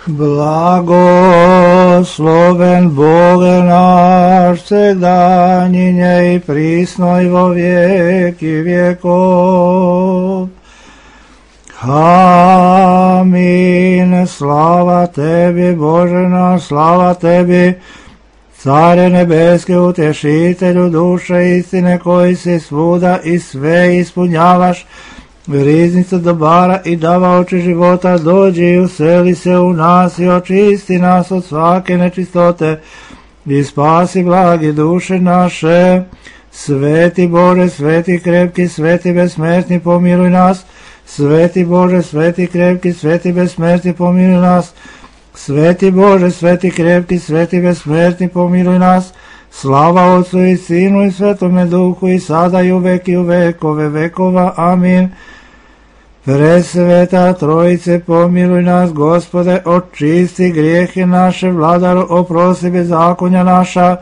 Blagosloven Bože naš, segdanjinje i prisno i vo vijeki vjekov. Amin. Slava tebi, Bože naš, slava tebi, Care nebeske, utješitelju duše istine, koji si svuda i sve ispunjavaš, riznica dobara i davaoče života, dođi i useli se u nas i očisti nas od svake nečistote i spasi blagi duše naše. Sveti Bože, sveti krepki, sveti besmrtni, pomiluj nas. Sveti Bože, sveti krepki, sveti besmrtni, pomiluj nas. Sveti Bože, sveti krepki, sveti besmrtni, pomiluj nas. Slava Otcu i Sinu i Svetome Duhu i sada i uvek i u vekove vekova. Amin. Presveta Trojice, pomiluj nas, Gospode, očisti grijehe naše, Vladaru, oprosti bezakonja naša.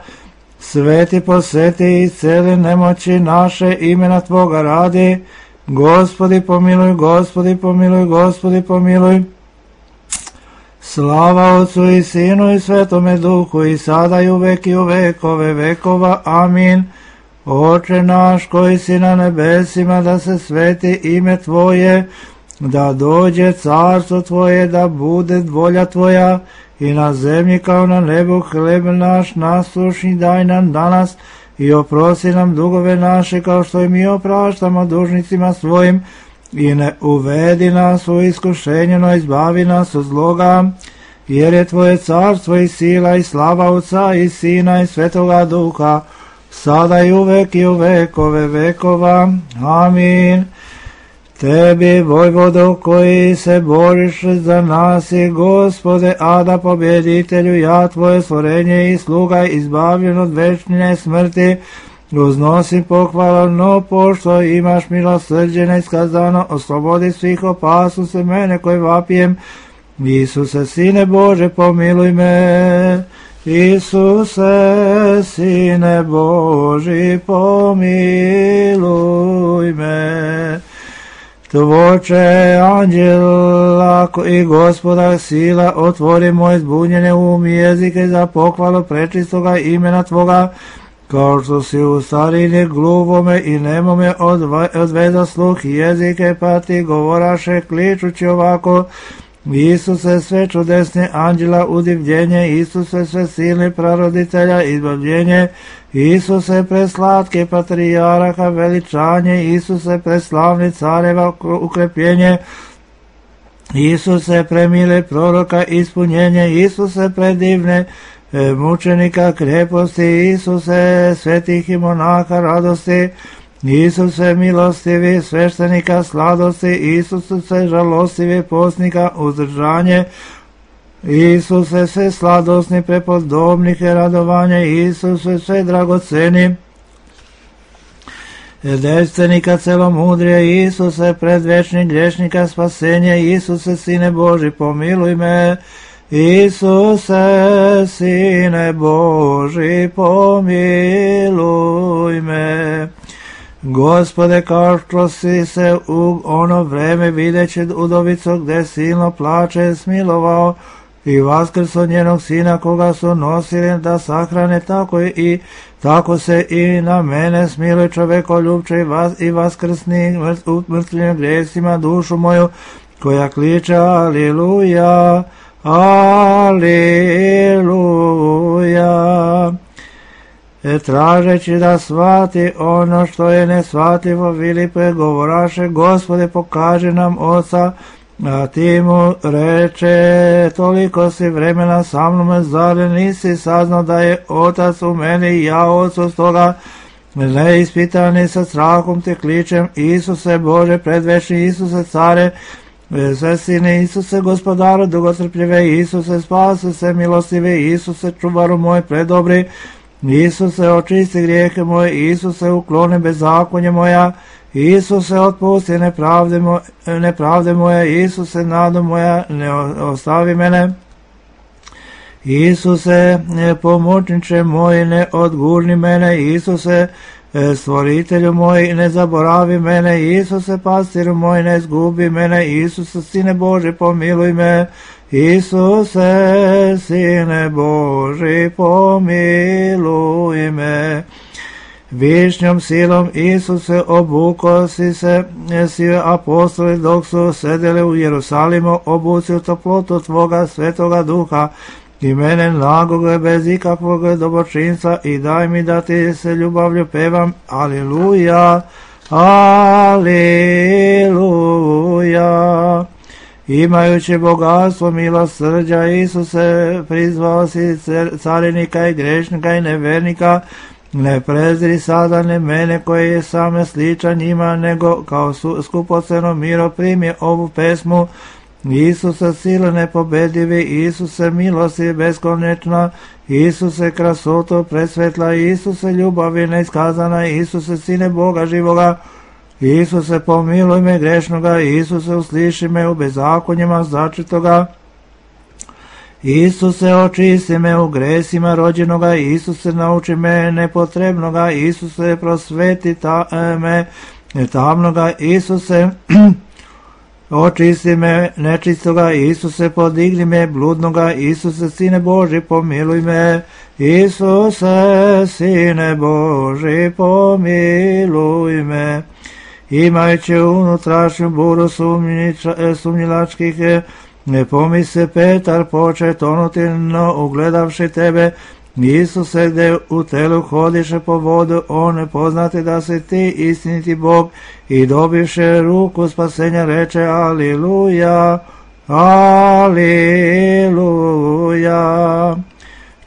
Sveti poseti i cele nemoći naše, imena Tvoga radi. Gospodi pomiluj, Gospodi pomiluj, Gospodi pomiluj. Slava Otcu i Sinu i Svetome Duhu i sada i uvek i u vekove vekova. Amin. Oče naš koji si na nebesima, da se sveti ime Tvoje, da dođe carstvo Tvoje, da bude volja Tvoja i na zemlji kao na nebu. Hljeb naš nasušni daj nam danas i oprosti nam dugove naše kao što i mi opraštamo dužnicima svojim, i ne uvedi nas u iskušenje, no izbavi nas od zloga, jer je Tvoje carstvo i sila i slava Otca i Sina i Svetoga Duha, sada i uvek i u vekove vekova. Amin. Tebi, vojvodo, koji se boriš za nas i Gospode, Ada, pobjeditelju, ja Tvoje stvorenje i sluga, izbavljen od večne smrti, uznosim pohvalno, pošto imaš milosrđe neiskazano, oslobodi svih opasnosti mene koji vapijem. Isuse, Sine Bože, pomiluj me. Isuse, Sine Boži, pomiluj me. Tvoče anđela i Gospoda sila, otvori moj zbunjene um i jezike za pohvalu prečistoga imena Tvoga, kao što si u starini gluvome i nemome odveza sluh jezike, pa ti govoraše kličući ovako: Isuse, sve čudesne anđela udivljenje, Isuse, sve silni praroditelja izbavljenje, Isuse, preslatke patrijarha veličanje, Isuse, preslavni careva ukrepljenje, Isuse, premile proroka ispunjenje, Isuse, predivne mučenika kreposti, Isuse, svetih i monaha radosti, Isuse, milostivi sveštenika sladosti, Isuse, žalostivi postnika uzdržanje, Isuse, sve sladosni prepodobnike radovanje, Isuse, sve dragoceni devstvenika celomudrije, Isuse, predvečni grešnika spasenje, Isuse, Sine Boži, pomiluj me. Isuse, Sine Boži, pomiluj me. Gospode, kao što si se u ono vreme videći udovicu gde silno plače smilovao i vaskrso njenog sina koga su nosili da sahrane, tako se i na mene smiluj, čovekoljubče i vaskrsni mrtvim grijesima dušu moju, koja kliče Aliluja, Aliluja. Tražeći da shvati ono što je neshvatljivo, Filipe govoraše: Gospode, pokaži nam Oca. A ti mu reče: toliko si vremena sa mnom, zar nisi saznao da je Otac u meni i ja Otcu? Stoga neispitani sa strahom te kličem: Isuse Bože, predvečni Isuse, care, sve sine, Isuse, Gospodaru dugotrpljive, Isuse, spasi se milostive, Isuse, čuvaru moj predobri, Isuse, očisti grijehe moje, Isuse, ukloni bezakonje moja, Isuse, otpusti nepravde moje, Isuse, nado moja, ne ostavi mene. Isuse, pomoćniče moj, ne odgurni mene, Isuse, Stvoritelju moj, ne zaboravi mene, Isuse, pastiru moj, ne izgubi mene, Isuse, Sine Boži, pomiluj me, Isuse, Sine Boži, pomiluj me. Višnjom silom, Isuse, obuko si se, svi apostoli dok su sedeli u Jerusalimu, obuci u toplotu Tvoga svetoga duha i mene nagog bez ikakvog dobročinstva i daj mi da Ti se ljubavlju pevam. Aleluja, aleluja. Imajući bogatstvo milosrđa, Isuse, prizvao si carinika i grešnika i nevernika. Ne prezri sada ne mene koji je same sličan njima, nego kao skupoceno miro primi ovu pesmu. Isuse, sile nepobedivi, Isuse, milosti beskonečna, Isuse, krasoto presvetla, Isuse, ljubavi neiskazana, Isuse, Sine Boga živoga, Isuse, pomiluj me grešnoga, Isuse, usliši me u bezakonjima začitoga, Isuse, očisti me u gresima rođenoga, Isuse, nauči me nepotrebnoga, Isuse, prosveti me tamnoga, Isuse, očisti me nečistoga, Isuse, podigni me bludnoga, Isuse, Sine Boži, pomiluj me, Isuse, Sine Boži, pomiluj me. Imajući unutrašnju buru sumnjilačkih, ne pomisli Petar poče tonuti, no ugledavši Tebe, Isuse, gde u telu hodiše po vodu, on ne poznati da si Ti istiniti Bog, i dobivše ruku spasenja reče Aliluja, Aliluja.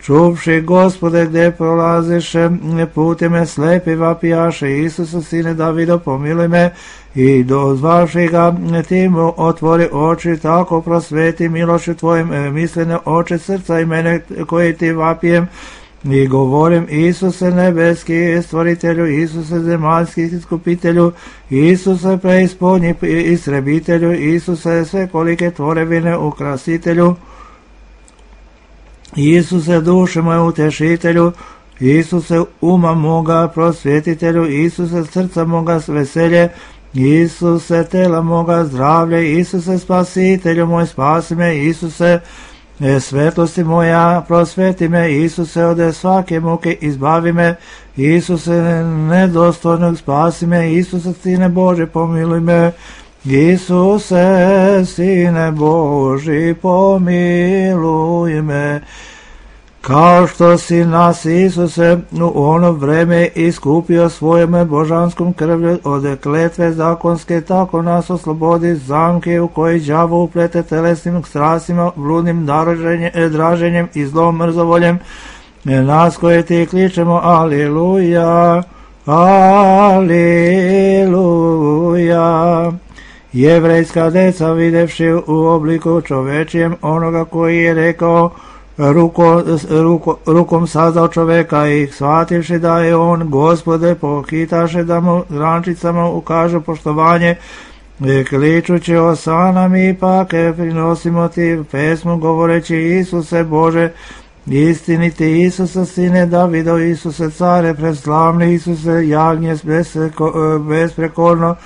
Čuvši Gospode, gde prolaziše putima slepi vapijaše, Isuse, Sine Davido, pomiluj me, i dozvavši ga Ti mu otvori oči, tako prosveti milošću Tvojim mislene oči srca i mene koji Ti vapijem, i govorim Isuse nebeski stvoritelju, Isuse zemaljski iskupitelju, Isuse preispodnji istrebitelju, Isuse svekolike tvorevine ukrasitelju, Isuse duše moje utešitelju, Isuse uma moga prosvjetitelju, Isuse srca moga veselje, Isuse tela moga zdravlje, Isuse spasitelju moj spasi me, Isuse svetlosti moja prosveti me, Isuse ode svake muke izbavi me, Isuse nedostojnog spasi me, Isuse Sine Boži pomiluj me, Isuse Sine Boži pomiluj me. Kao što si nas, Isuse, u ono vreme iskupio svojom božanskom krvlju od kletve zakonske, tako nas oslobodi zamke u koji đavo uplete telesnim strastima, bludnim draženjem i zlom mrzovoljem, nas koje Ti kličemo Aliluja, Aliluja. Jevrejska deca videvši u obliku čovečijem onoga koji je rekao rukom sazdao čoveka i shvativši da je on Gospode, pohitaše da mu grančicama ukažu poštovanje, kličući osana mi ipak prinosimo Ti pesmu govoreći Isuse Bože, istiniti Isuse Sine Davido, Isuse care preslavni, Isuse jagnje besprekorno,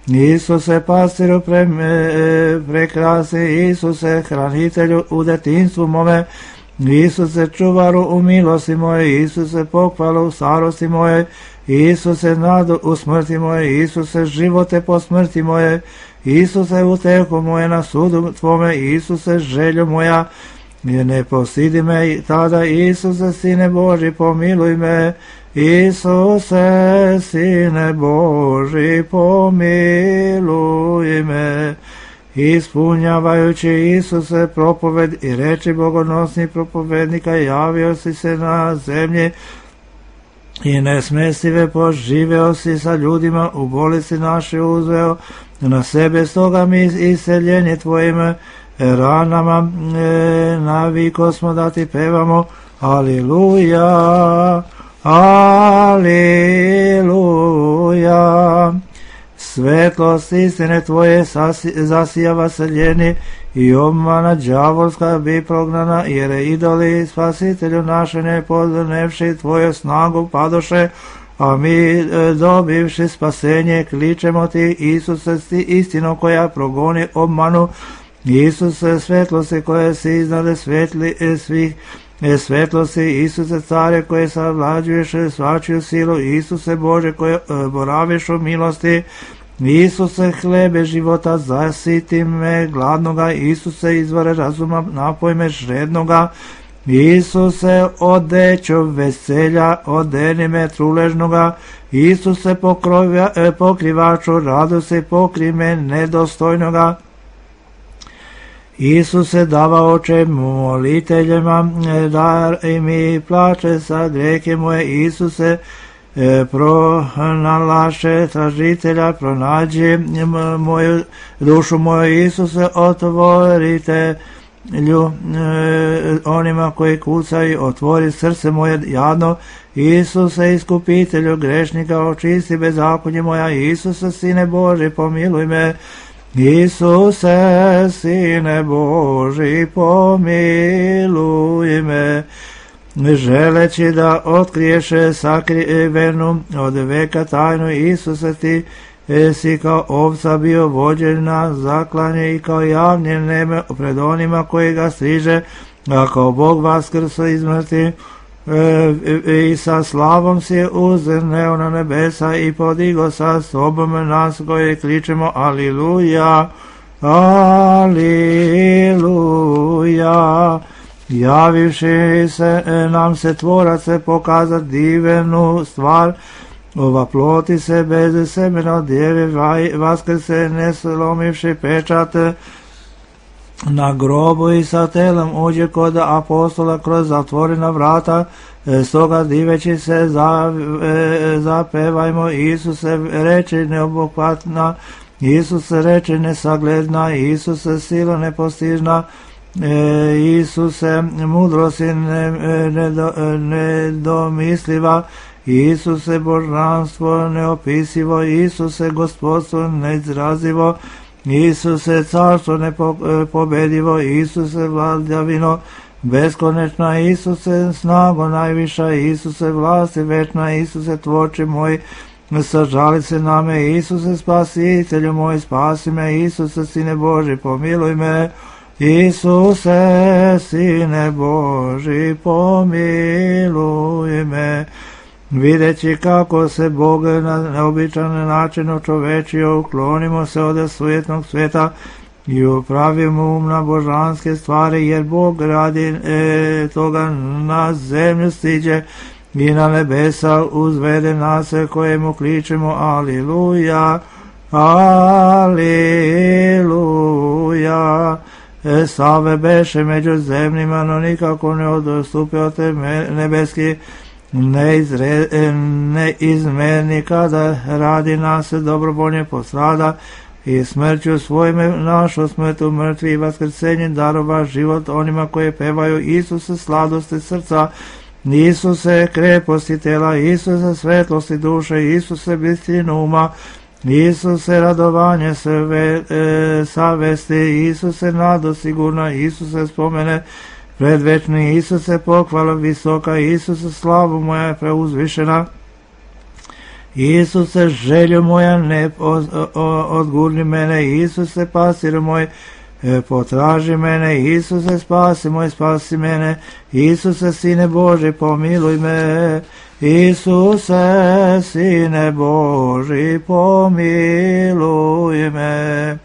Isuse pastiru prekrasni, Isuse hranitelju u detinstvu mome, Isuse čuvaru u milosti moje, Isuse pohvalu u starosti moje, Isuse nadu u smrti moje, Isuse živote po smrti moje, Isuse utehu moje na sudu Tvome, Isuse želju moja, ne postidi me tada, Isuse Sine Boži pomiluj me, Isuse Sine Boži pomiluj me. Ispunjavajući Isuse propoved i reči bogonosnih propovednika, javio si se na zemlji i nesmestive poživeo si sa ljudima, u bolesti naše uzveo na sebe, stoga mi iseljenje Tvojim ranama naviko smo da Ti pevamo Aliluja, Aliluja. Svetlost istine Tvoje zasijava seljeni i obmana đavolska bi prognana, jer idoli Spasitelju naše ne podnevši Tvoju snagu padoše. a mi dobivši spasenje kličemo ti, Isuse, istino koja progoni obmanu, Isuse, svetlosti koje si iznade svih svetlosti, Isuse, care koje savlađuješ svačiju silu, Isuse Bože koje boraviš u milosti, Isuse, hlebe života, zasiti me gladnoga, Isuse, izvore razuma, napoj me žednoga, Isuse, odećo veselja, odeni me truležnoga, Isuse, pokrivaču radosti, pokri me nedostojnoga, Isuse, dava oče moliteljima, dar mi plače sa greke moje, Isuse, pronalaše tražitelja, pronađi moju dušu moju, Isuse, otvorite onima koji kucaju, otvori srce moje jadno, Isuse, iskupitelju grešnika, očisti bezakonje moja, Isuse, Sine Boži, pomiluj me, Isuse, Sine Boži, pomiluj me, želeći da otkriješe sakrivenu od veka tajnu, Isuse, ti si kao ovca bio vođen na zaklanje i kao javnje neme pred onima koji ga striže, a kao Bog vaskrso iz mrtvih i sa slavom si uzneo na nebesa i podigo sa sobom nas koji kličemo Aliluja, Aliluja. Javivši se nam se tvorac pokazat divenu stvar, ova ploti se bez semena od djeve vaskrse ne slomivši pečat na grobu i sa telom uđe kod apostola kroz zatvorena vrata, stoga diveći se zapevajmo, Isuse reči neobuhvatna, Isuse reči nesagledna, Isuse sila nepostižna, Isuse mudrosti nedomisliva, Isuse božanstvo neopisivo, Isuse gospodstvo neizrazivo, Isuse carstvo nepobedivo, Isuse vladavino beskonečna, Isuse snago najviša, Isuse vlasti večna, Isuse tvorči moj, sažali se na me, Isuse spasitelju moj, spasi me, Isuse Sine Boži, pomiluj me, Isuse Sine Boži, pomiluj me. Videći kako se Bog na neobičan način očovečio, uklonimo se od sujetnog sveta i upravimo na božanske stvari, jer Bog radi toga na zemlju stiđe i na nebesa uzvede nas kojemu kličemo Aliluja, Aliluja. Save beše među zemljima, no nikako ne odstupio te nebeski, neizmerni kada radi nas dobrovoljne postrada i smrću svojime našu smrtu mrtvi i vaskrsenje darova život onima koje pevaju Isuse sladosti srca, Isuse kreposti tela, Isuse svetlosti duše, Isuse bistinu uma, Isuse radovanje savesti, Isuse nado sigurna, Isuse spomene predvečni, Isuse pohvala visoka, Isuse slavu moja preuzvišena, Isuse želju moja ne odgurni mene, Isuse pasir moj potraži mene, Isuse spasi mene, Isuse Sine Boži pomiluj me, Isuse Sine Boži pomiluj me.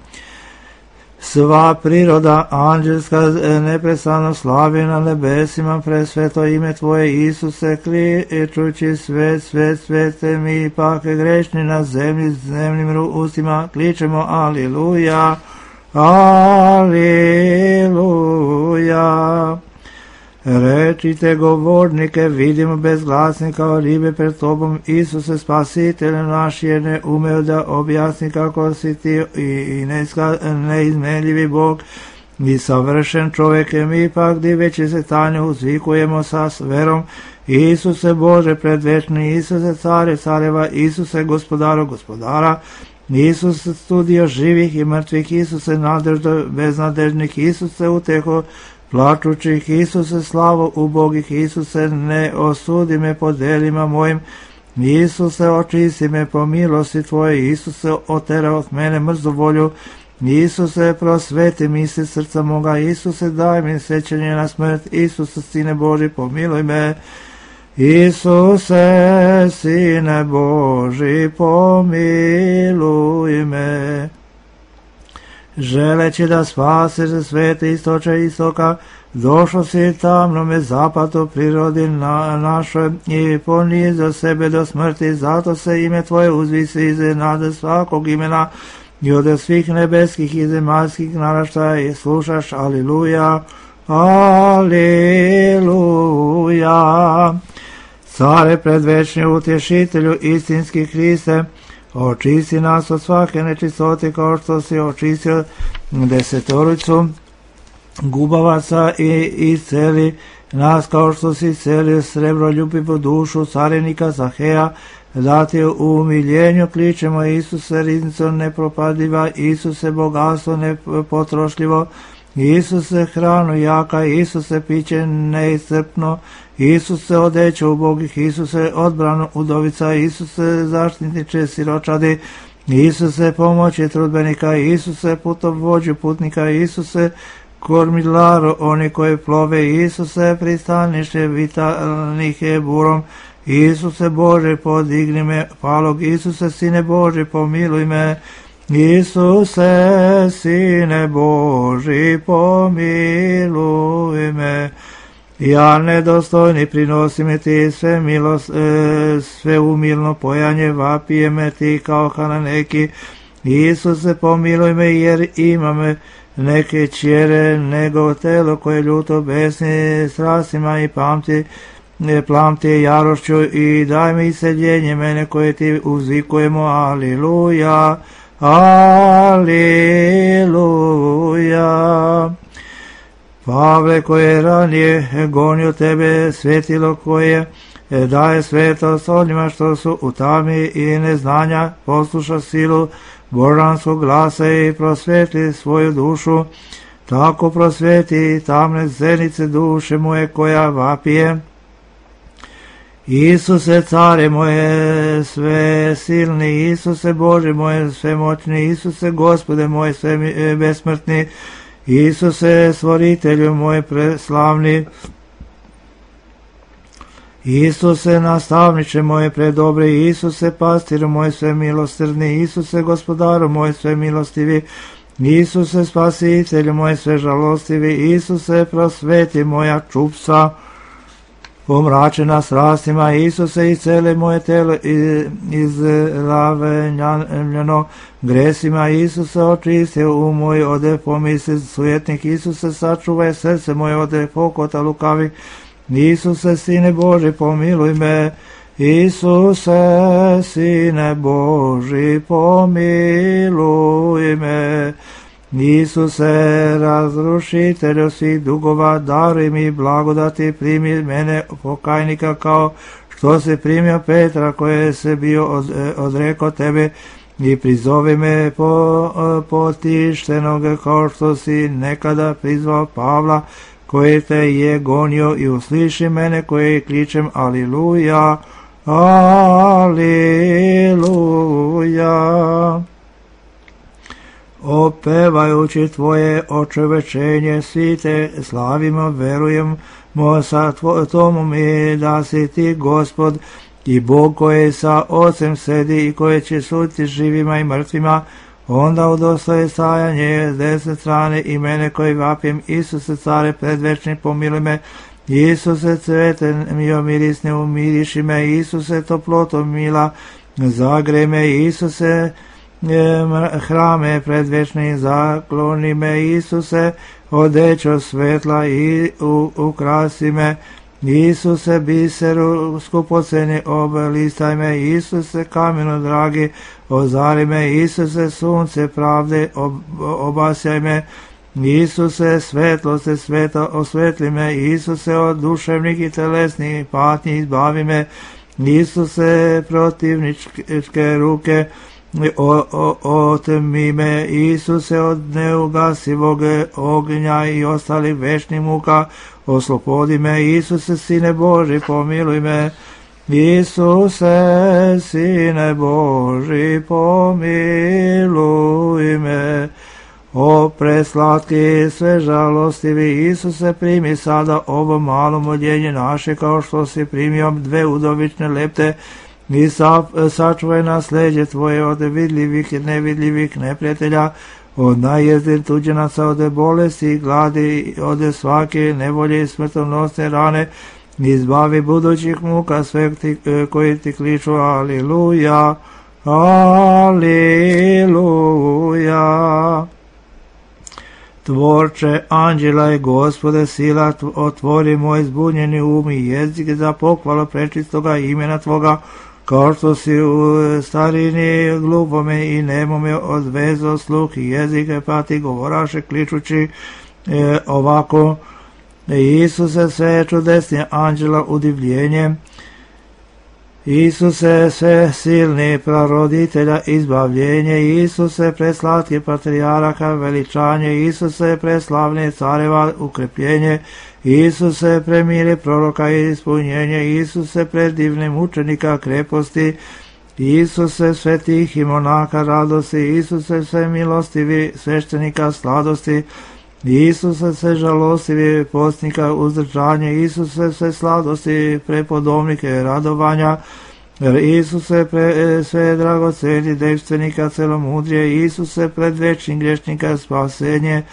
Sva priroda anđelska neprestano slavi na nebesima presveto ime Tvoje, Isuse, kličući svet, mi ipak grešni na zemlji s zemljim ustima kličemo Aliluja, Aliluja. Rečite govornike, vidimo bezglasni kao ribe pred Tobom, Isuse spasitelj naš, jer ne umeo da objasni kako si Ti i neizmenljivi Bog i savršen čovjek, mi ipak diveći se tanju uzvikujemo sa verom, Isuse Bože predvečni, Isuse care careva, Isuse gospodaru gospodara, Isuse studio živih i mrtvih, Isuse nadeždo beznadežnih, Isuse uteho plačućih, Isuse slavo ubogih, Isuse ne osudi me po delima mojim, Isuse, očisti me po milosti Tvoje, Isuse, otera od mene mrzu volju, Isuse, prosveti misli srca moga, Isuse, daj mi sećanje na smrt, Isuse, Sine Boži, pomiluj me, Isuse, Sine Boži, pomiluj me. Želeći da spasiš za svete istoče istoka, došao si tamnome zapadu prirodi našoj i ponizio sebe do smrti, zato se ime Tvoje uzvisi iznad svakog imena i od svih nebeskih i zemaljskih naraštaja i slušaš, aliluja, aliluja. Care predvečni, utješitelju, istinski Hriste, očisti nas od svake nečistote kao što si očistio desetoricu gubavaca i isceli nas kao što si iscelio srebroljubivu dušu carenika Zaheja, da ti u umiljenju kličemo, Isuse, riznico nepropadiva, Isuse, bogatstvo nepotrošljivo, Isuse, hranu jaka, Isuse, piće neiscrpno, Isuse, odeću ubogih, Isuse, odbranu udovica, Isuse, zaštitniče siročadi, Isuse, pomoći trudbenika, Isuse, putovođu putnika, Isuse, kormilaro oni koji plove, Isuse, pristanište vitalnih je burom, Isuse Bože, podigni me, palog, Isuse, Sine Boži, pomiluj me, Isuse, Sine Boži, pomiluj me. Ja nedostojni prinosim ti sve umilno pojanje, vapije me ti kao hananeki, Isuse, pomiluj me jer imam neke čjere nego telo koje ljuto besni strastima i plamti jarošću i daj mi seljenje mene koje ti uzvikujemo, aliluja, aliluja. Pavle, koje ranije gonio tebe, svetilo koje daje svetost onima što su u tami i neznanja, posluša silu božanskog glasa i prosvetli svoju dušu, tako prosveti tamne zenice duše moje koja vapije. Isuse, care moje sve silni, Isuse, Bože moje svemoćni, Isuse, Gospode moje sve besmrtni, Isuse, stvoritelju moj preslavni, Isuse, nastavniče moje predobri, Isuse, pastiru moj sve milosrdni, Isuse, gospodaru moj sve milostivi, Isuse, spasitelju moj sve žalostivi, Isuse, prosveti moja čupca, pomračena strastima, Isuse, isceli moje telo izravenjeno gresima, Isuse, očisti moj ode pomisli sujetnik, Isuse, sačuvaj srce moje ode pokota lukavih, Isuse, Sine Boži, pomiluj me, Isuse, Sine Boži, pomiluj me, Isuse, razrušitelju svih dugova, daruj mi blagodati, primi mene pokajnika kao što si primio Petra koje se bio odrekao tebe i prizovi me potištenog kao što si nekada prizvao Pavla koji te je gonio i usliši mene koji kličem aliluja, aliluja. Opevajući Tvoje očevečenje, svi te slavimo, verujemo sa Tomom i da si Ti Gospod i Bog koji sa Ocem sedi i koji će suditi živima i mrtvima, onda udostoje stajanje s desne strane i mene koji vapim, Isuse, care predvečni, pomiluj me, Isuse, cvete mio mirisne, umiriši me, Isuse, toploto mila, zagrej me, Isuse, hrame predvečni, zakloni me, Isuse, odećo svetla i ukrasi me, Isuse, biseru skupoceni oblistaj me, Isuse, kamenu dragi, ozari me, Isuse, sunce pravde obasjaj me, Isuse, svetlosti sveta osvetli me, Isuse, od duševnih i telesnih patnji izbavi me, Isuse, protivničke ruke otmi me, Isuse, od neugasivog ognja i ostalih večnih muka oslobodi me, Isuse, Sine Boži, pomiluj me, Isuse, Sine Boži, pomiluj me. O preslatki, sve žalostivi Isuse, primi sada ovo malo moljenje naše, kao što si primio 2 udovične lepte, i sačuvaj nasleđe Tvoje od vidljivih i nevidljivih neprijatelja, od najezdir tuđenaca, od bolesti i gladi, od svake nevolje i smrtonosne rane, izbavi budućih muka sve koji ti kliču. Aliluja, aliluja. Tvorče anđela i Gospode sila, otvori moj zbunjeni um i jezik za pohvalu prečistoga imena Tvoga, kao što si u starini glupome i nemome odvezo sluh i jezike, pa ti govoraše kličući ovako: Isuse, sve čudesnije anđela udivljenje, Isuse, sve silni praroditelja izbavljenje, Isuse, preslatki patrijaraka veličanje, Isuse, preslavni careva ukrepljenje, Isuse, premiri proroka ispunjenje, Isuse, predivni mučenika kreposti, Isuse, svetih i monaka radosti, Isuse, sve milostivi sveštenika sladosti, Isuse, sve žalostivi postnika uzdržanje, Isuse, sve sladosti prepodobnike radovanja, Isuse, sve dragoceni devstvenika celomudrije, Isuse, pred večnim grešnika spasenje,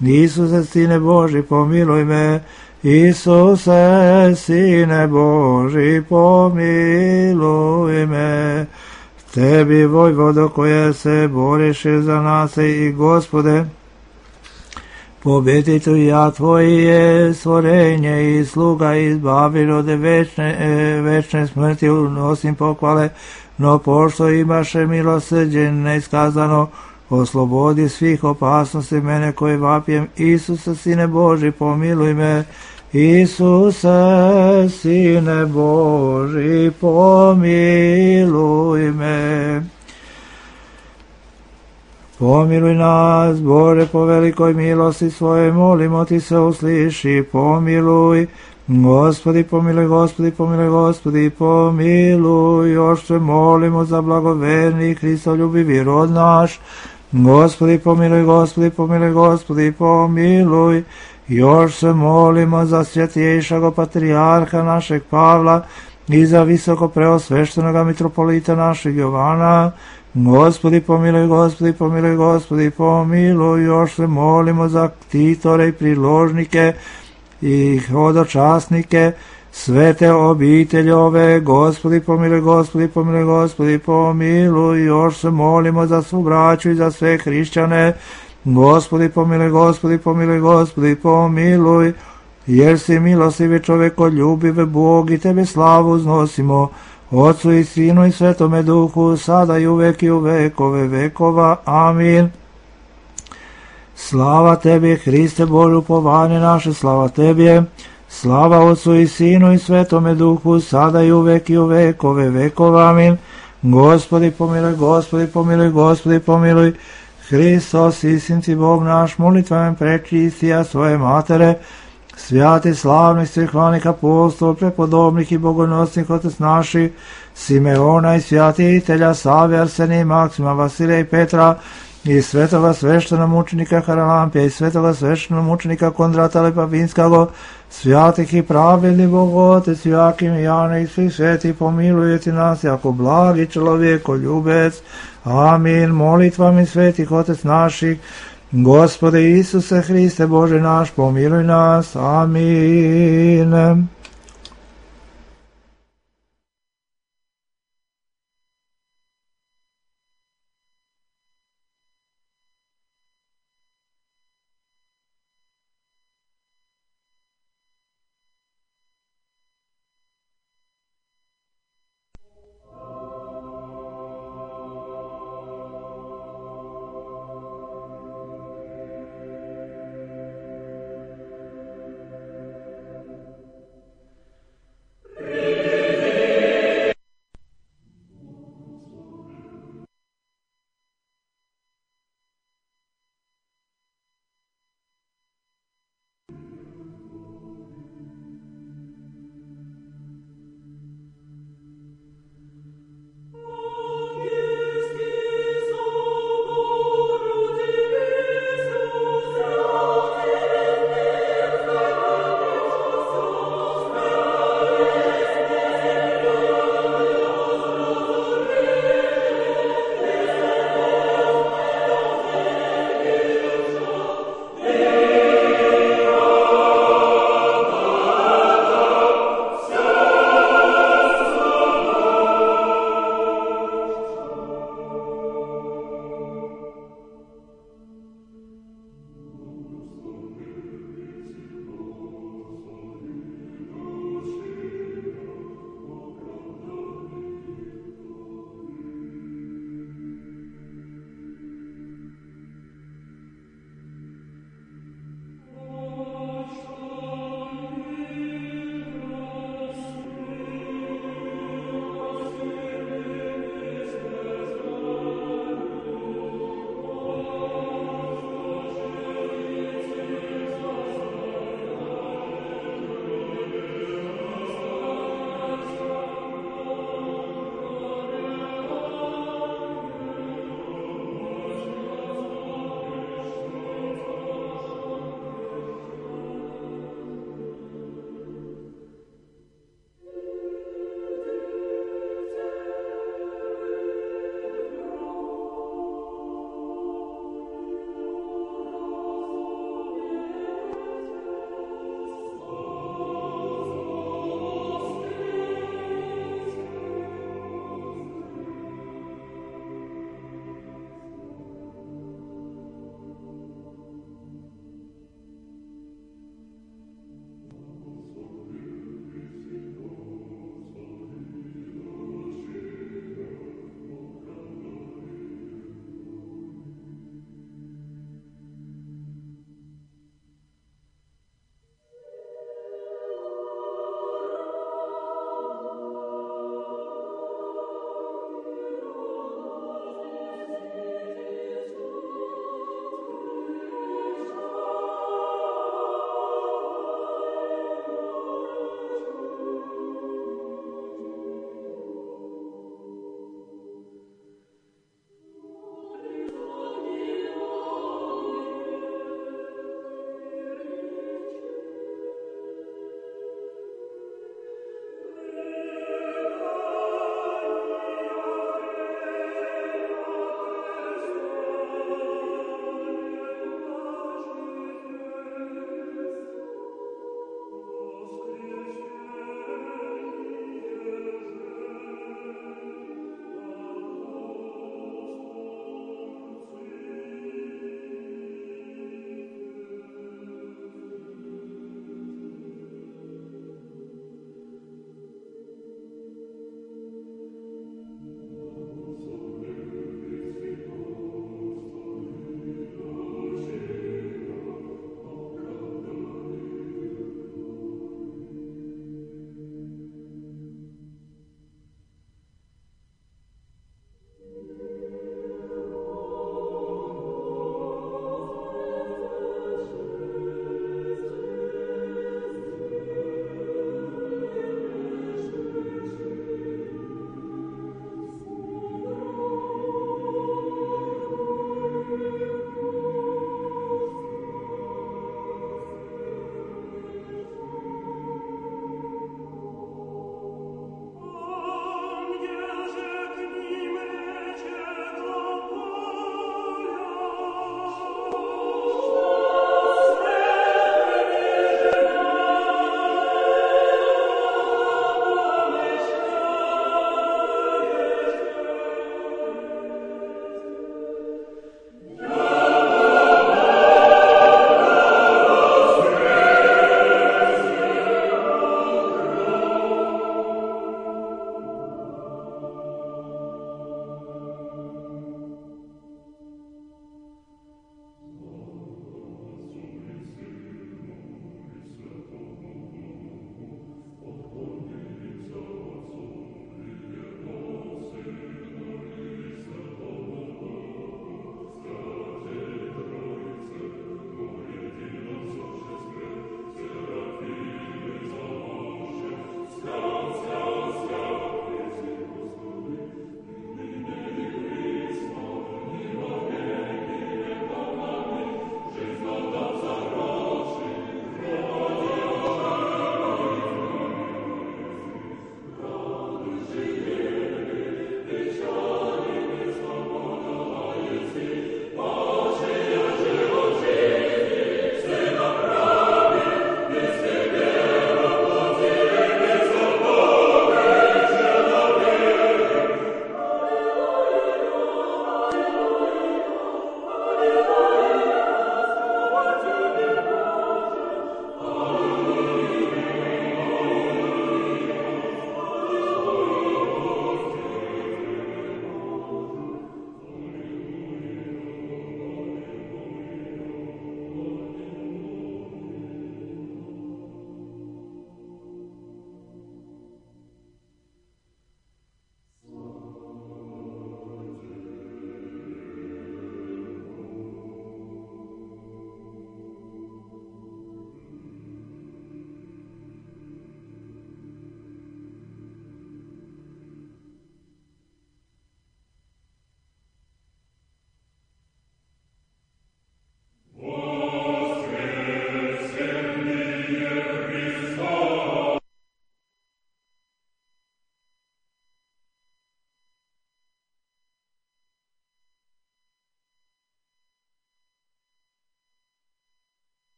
Isuse, Sine Boži, pomiluj me, Isuse, Sine Boži, pomiluj me. Tebi, vojvodo, koje se boriš za nas i Gospode, pobjeditelj ja Tvoje stvorenje i sluga izbavir od večne smrti, unosim pohvale, no pošto imaše milosrđe neiskazano, oslobodi svih opasnosti mene koji vapijem. Isuse, Sine Boži, pomiluj me, Isuse, Sine Boži, pomiluj me. Pomiluj nas, Bože, po velikoj milosti svoje, molimo Ti se usliši, pomiluj. Gospodi, pomiluj, Gospodi, pomiluj, Gospodi, pomiluj. Još se molimo za blagoverni Hristoljubivi rod naš. Gospodi, pomiluj, Gospodi, pomiluj, Gospodi, pomiluj. Još se molimo za svjetiješago patrijarha našeg Pavla i za visoko preosveštenoga mitropolita našeg Jovana. Gospodi, pomiluj, Gospodi, pomiluj, Gospodi, pomiluj. Još se molimo za ktitore i priložnike i hodočasnike, svete obitelji ove. Gospodi, pomiluj, Gospodi, pomiluj, Gospodi, pomiluj. Još se molimo za svu braću i za sve hrišćane. Gospodi, pomiluj, Gospodi, pomiluj, Gospodi, pomiluj. Jer si milostivi čovekoljubive Bog i Tebe slavu uznosimo, Otcu i Sinu i Svetome Duhu, sada i uvek i u vekove vekova. Amin. Slava Tebi, Hriste Bože, upovanje naše, slava Tebi. Slava Otcu i Sinu i Svetome Duhu, sada i uvek i u vekove vekova. Amin. Gospodi, pomiluj, Gospodi, pomiluj, Gospodi, pomiluj. Hristos, istinci Bog naš, molitvama prečistija svoje matere, svjati slavnih svihvanih apostol, prepodobnih i bogonosnih otec naši, Simeona i svjatitelja Save, Arsenija, Maksima, Vasilija i Petra, i svetoga sveštenog mučenika Haralampija, i svetoga sveštenog mučenika Kondrata Lepapinskog, svjatih i pravilnih Bogotec, Joakim i Jana i svih svetih, pomilujete nas, jako blagi čovjekoljubec. Amin. Molitvami svetih otec naših, Gospode Isuse Hriste Bože naš, pomiluj nas. Amin.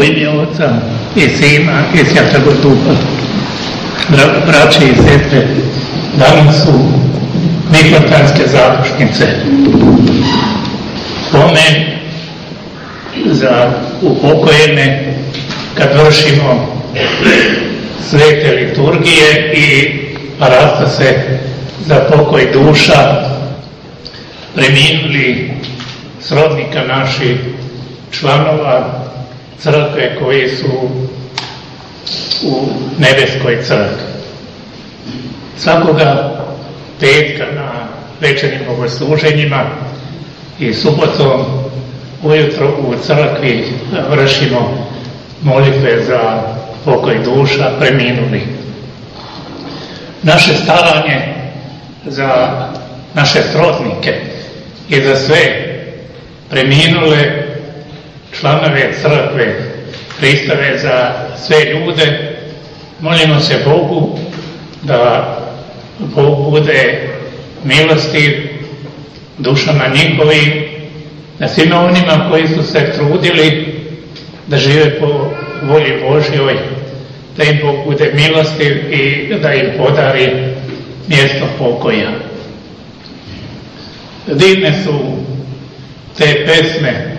U ime Oca i Sina i Svjetog Duha. Braće i sestre, danas su Mikrotanske zadušnice. Spomen za upokojene kad vršimo svete liturgije i rasta se za pokoj duša preminuli srodnika naših članova crkve koji su u nebeskoj crkvi. Svakoga petka na večernjim bogosluženjima i subotom ujutro u crkvi vršimo molitve za pokoj duša preminuli. Naše staranje za naše srodnike i za sve preminule članove crkve Hristove, za sve ljude, molimo se Bogu da Bog bude milostiv dušama njihovim, da svima onima koji su se trudili da žive po volji Božjoj, da im Bog bude milostiv i da im podari mjesto pokoja. Divne su te pesme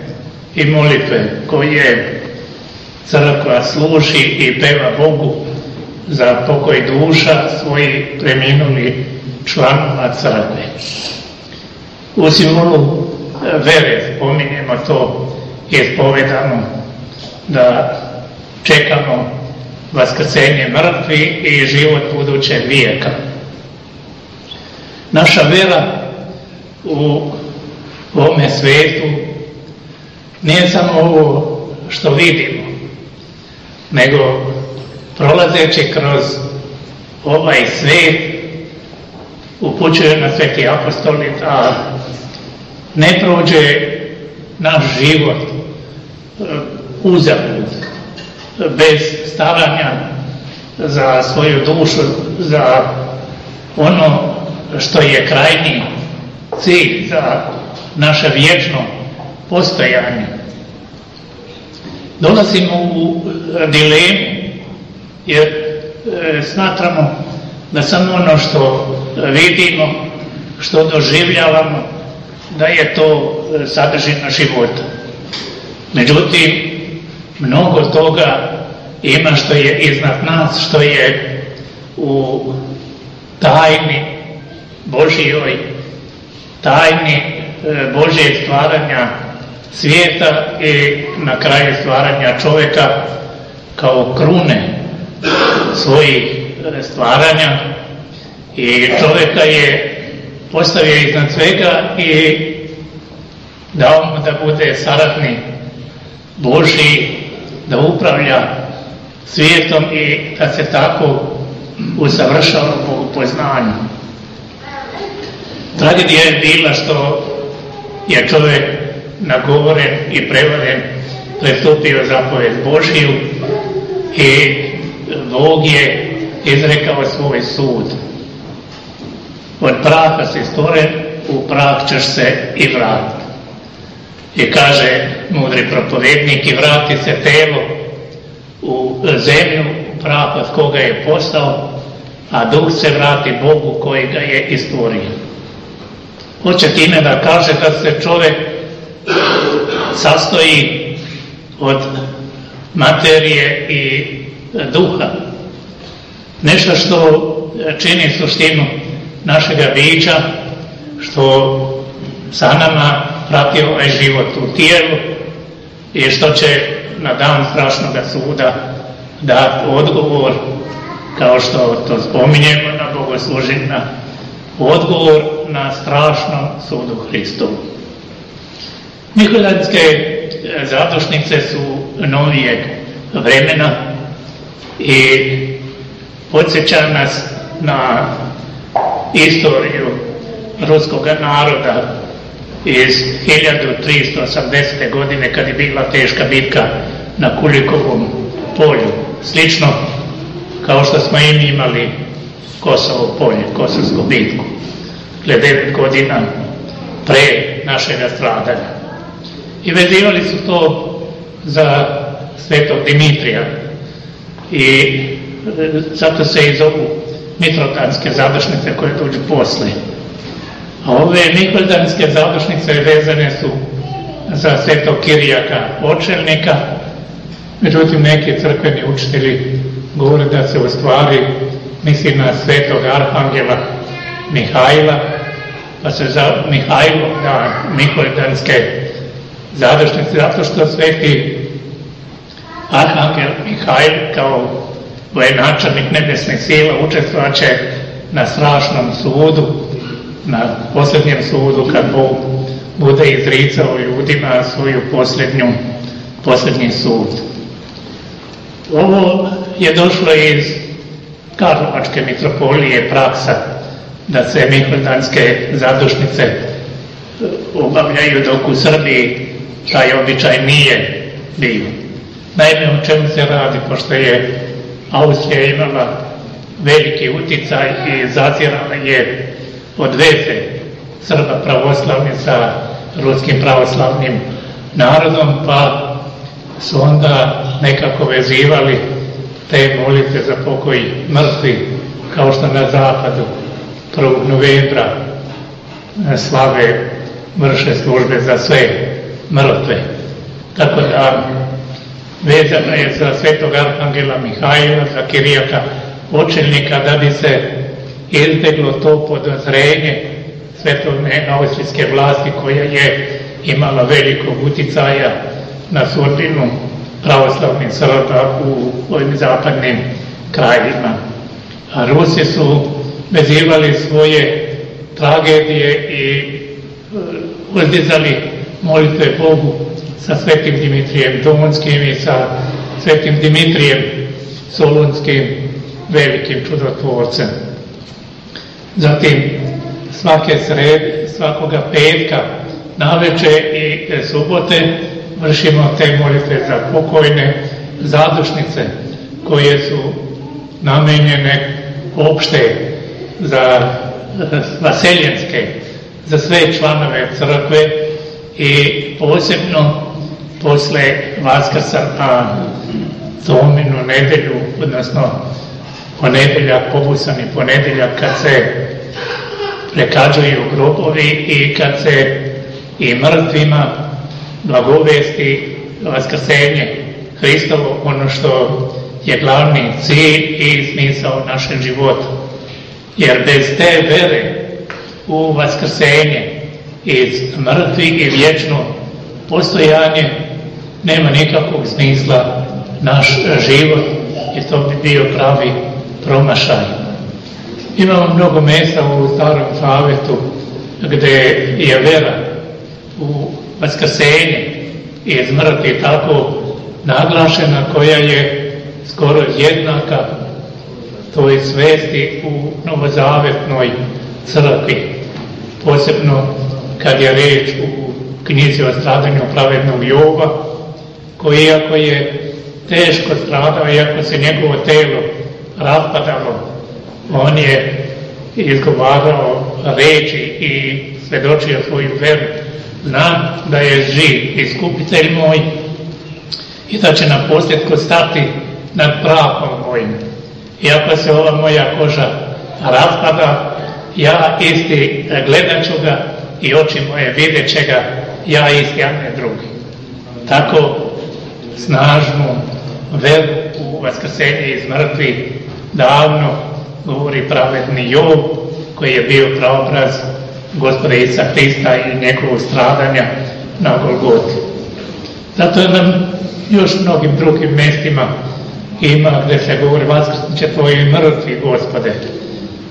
i molitve koje crkva služi i peva Bogu za pokoj duša svojih preminuli članova crkve. U simbolu vere spominjemo to i ispovedamo da čekamo vaskrsenje mrtvi i život budućeg vijeka. Naša vera u ovome svijetu nije samo ovo što vidimo, nego prolazeći kroz ovaj svijet upućuje na Sveti apostoli da ne prođe naš život uzalud, bez staranja za svoju dušu, za ono što je krajnji cilj za naše vječno postojanje. Dolazimo u dilemu jer smatramo da samo ono što vidimo, što doživljavamo, da je to sadržina života. Međutim, mnogo toga ima što je iznad nas, što je u tajni Božjoj, tajni Božjeg stvaranja svijeta i na kraju stvaranja čovjeka kao krune svojih stvaranja, i čovjeka je postavio iznad svega i dao mu da bude saradnik Božji, da upravlja svijetom i da se tako usavršava u poznanju. Tragedija je bila što je čovjek nagovoren i prevaren prestupio zapovjed Božju i Bog je izrekao svoj sud. Od praha si stvoren, u prah ćeš se i vratiti. I kaže mudri propovjednik, i vrati se telo u zemlju, prah od koga je postao, a duh se vrati Bogu koji ga je i stvorio. Hoće time da kaže da se čovjek sastoji od materije i duha. Nešto što čini suštinu našega bića, što sa nama prati ovaj život u tijelu i što će na dan strašnog suda dati odgovor, kao što to spominjemo na bogosluženjima, odgovor na strašnom sudu Hristovu. Miholjanske zadušnice su novijeg vremena i podsjeća nas na istoriju ruskog naroda iz 1380. godine, kad je bila teška bitka na Kulikovom polju. Slično kao što smo i mi imali Kosovo polje, Kosovsku bitku, 9 godina pre našeg stradanja. I vezivali su to za svetog Dimitrija. I zato se i zovu Mitrotanske završnice koje dođu posle. A ove Nikoldanske završnice vezane su za svetog Kirijaka Očelnika, međutim neki crkveni učitelji govore da se u stvari misli na svetog arhangela Mihajla, pa se za Mihajlo da Nikoldanske završnice, zato što sveti arhangel Mihajl kao vojenačelnik nebesnih sila učestvovaće na strašnom sudu, na posljednjem sudu kad Bog bude izricao ljudima svoju posljednji sud. Ovo je došlo iz Karlovačke mitropolije praksa da se Nikoldanske zadušnice obavljaju, dok u Srbiji taj običaj nije bio. Naime, o čemu se radi, pošto je Austrija imala veliki uticaj i zazirala je od veze Srba pravoslavni sa ruskim pravoslavnim narodom, pa su onda nekako vezivali te molitve za pokoj mrtvi, kao što na zapadu 1. novembra slave vrše službe za sve mrtve. Tako da vezano je za svetog arhangela Mihajla, za Kirijaka Očelnika, da bi se izbjeglo to podozrenje svetovne austrijske vlasti koja je imala velikog uticaja na sudbinu pravoslavnih Srba u ovim zapadnim krajevima. A Rusi su vezivali svoje tragedije i uzdizali molitve Bogu sa svetim Dimitrijem Donskim i sa svetim Dimitrijem Solunskim, velikim čudotvorcem. Zatim svakoga petka navečer i subote vršimo te molitve za pokojne zadušnice koje su namenjene opšte za vaseljenske, za sve članove crkve i posebno posle Vaskrsa na Tominu nedelju, odnosno ponedeljak, pobusani ponedeljak, kad se prekađuju grobovi i kad se i mrtvima blagovesti vaskrsenje Hristovo, ono što je glavni cilj i smisao našeg života. Jer bez te vere u vaskrsenje iz mrtvi i vječno postojanje nema nikakvog smisla naš život i to bi bio pravi promašaj. Imamo mnogo mjesta u Starom Zavetu gdje je vera u vaskrsenje iz mrtvi tako naglašena, koja je skoro jednaka toj svesti u novozavetnoj crkvi. Posebno kad je reč u knjizi o stradanju pravednog Jova, koji iako je teško stradao, iako se njegovo telo raspadalo, on je izgovarao reči i svedočio svoju veru. Znam da je živ iskupitelj moj i da će na posljedku stati nad prahom mojim. Iako se ova moja koža raspada, ja isti gledat ću ga i oči moje vidjet će ga, ja isti, a ne drugi. Tako snažnu veru u vaskrsenje iz mrtvi davno govori pravedni Jov, koji je bio praobraz Gospoda Isusa Hrista i njegovog stradanja na Golgoti. Zato nam još mnogim drugim mjestima ima gdje se govori vaskrsnuće tvoji mrtvi, Gospode.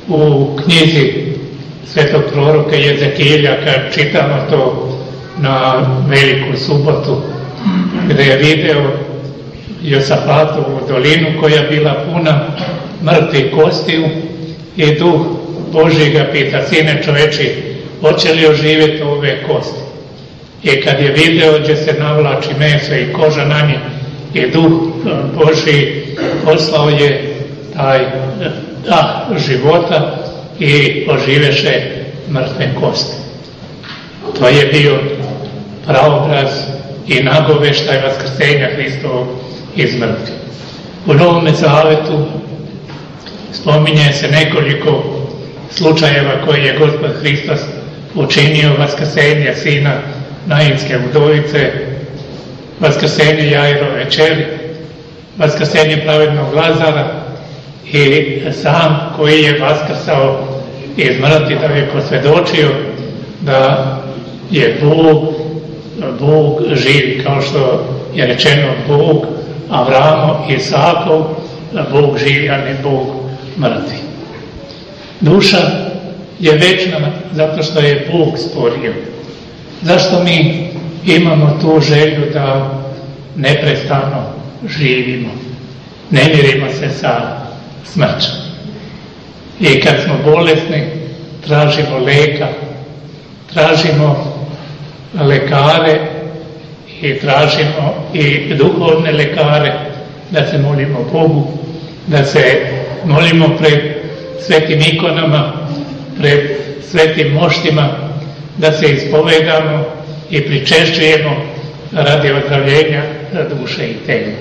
U knjizi svetog proroka Jezekilja, kad čitamo to na Veliku subotu, gdje je video Josafatovu dolinu koja je bila puna mrtvih kostiju i Duh Božji ga pita: sine čoveči, hoće li oživjeti ove kosti? I kad je video gdje se navlači meso i koža na njih, i Duh Božji poslao je taj dah života i oživeše mrtve kosti. To je bio praobraz i nagoveštaj vaskrsenja Hristovog iz mrtvih. U Novome Zavetu spominje se nekoliko slučajeva koje je Gospod Hristos učinio: vaskrsenje sina Nainske udovice, vaskrsenje Jairove kćeri, vaskrsenje pravednog Lazara i sam koji je vaskrsao iz mrtvih da je posvjedočio da je Bog živi, kao što je rečeno Bog Avramo i Isakov, Bog živi, a ne Bog mrtvi. Duša je večna zato što je Bog stvorio. Zašto mi imamo tu želju da neprestano živimo? Ne mirimo se sa smrću. I kad smo bolesni, tražimo lijeka, tražimo lekare i tražimo i duhovne lekare, da se molimo Bogu, da se molimo pred svetim ikonama, pred svetim moštima, da se ispovedamo i pričešćujemo radi ozdravljenja duše i tela.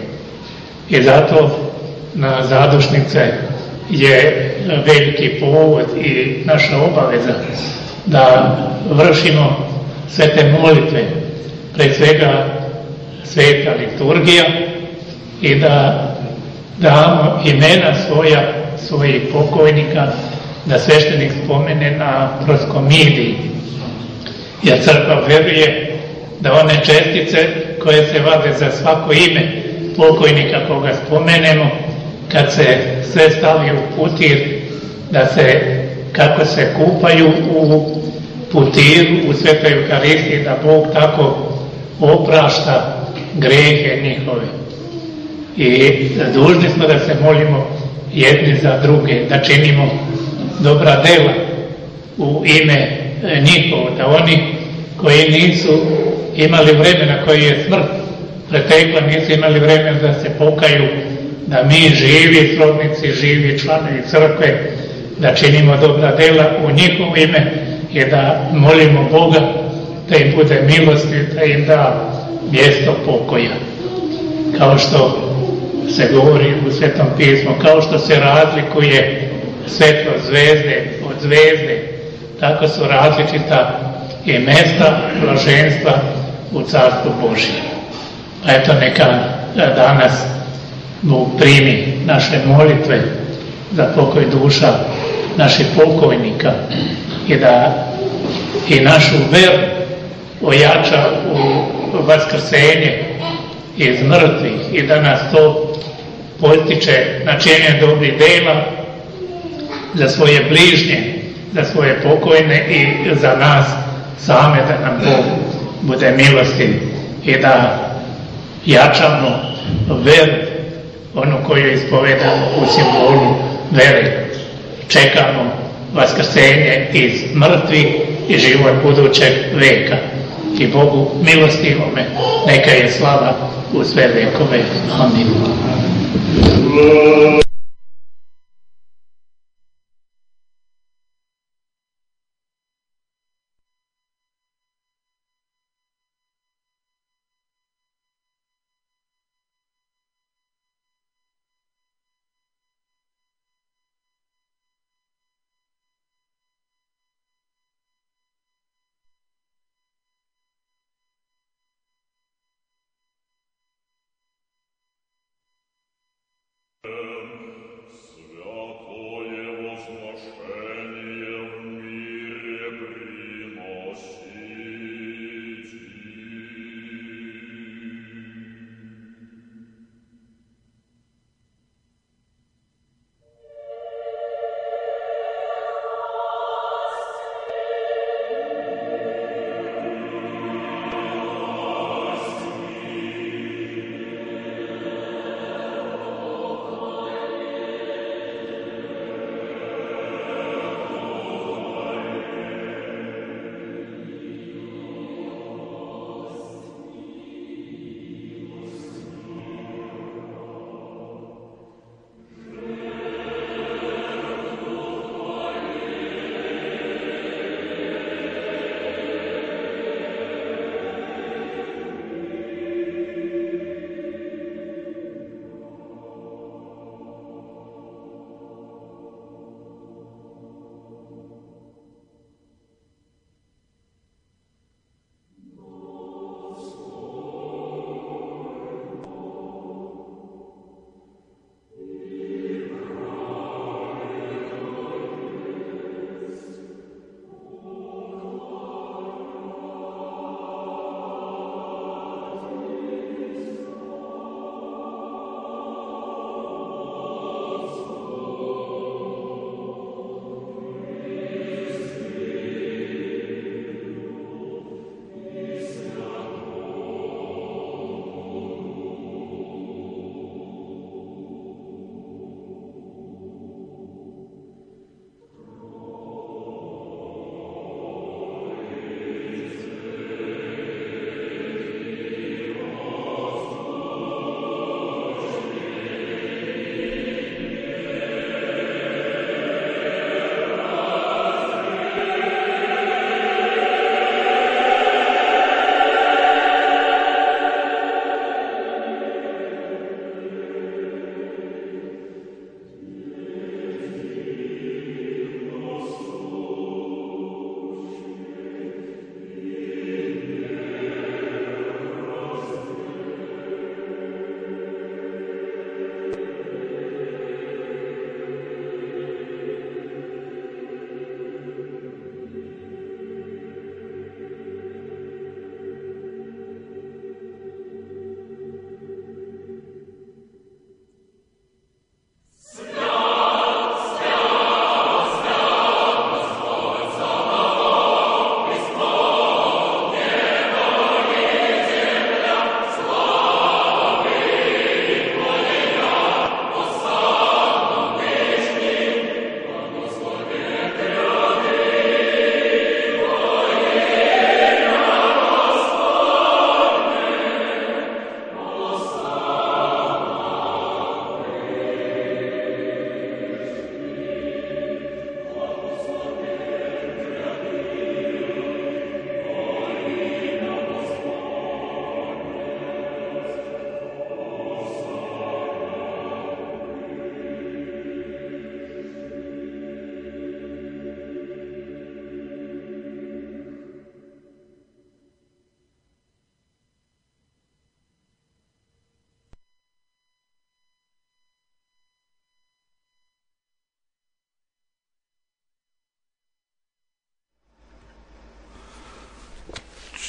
I zato na zadušnice je veliki povod i naša obaveza da vršimo sve te molitve, pred svega sveta liturgija, i da damo imena svojih pokojnika, da sveštenik spomene na proskomidiji. Jer crkva veruje da one čestice koje se vade za svako ime pokojnika koga spomenemo, kad se sve stavi u putir, da se, kako se kupaju u putiru, u svetoj Euharistiji, da Bog tako oprašta grehe njihove. I dužni smo da se molimo jedni za druge, da činimo dobra dela u ime njihovo, da oni koji nisu imali vremena, koji je smrt pretekla, nisu imali vremena da se pokaju, da mi živi srodnici, živi članovi crkve, da činimo dobra dela u njihovo ime i da molimo Boga da im bude milosti, da im da mjesto pokoja. Kao što se govori u Svetom pismu, kao što se razlikuje svetlo zvezde od zvezde, tako su različita i mesta blaženstva u Carstvu Božjem. A eto, neka danas Bog primi naše molitve za pokoj duša naših pokojnika i da i našu veru ojača u vaskrsenje iz mrtvih i da nas to potiče na činjenje dobrih dela za svoje bližnje, za svoje pokojne i za nas same, da nam Bog bude milostiv i da jačamo veru, onu koju ispovedamo u simbolu vere. Čekamo vaskrsenje iz mrtvih i život budućeg veka. I Bogu milostivome neka je slava u sve vekove. Amin.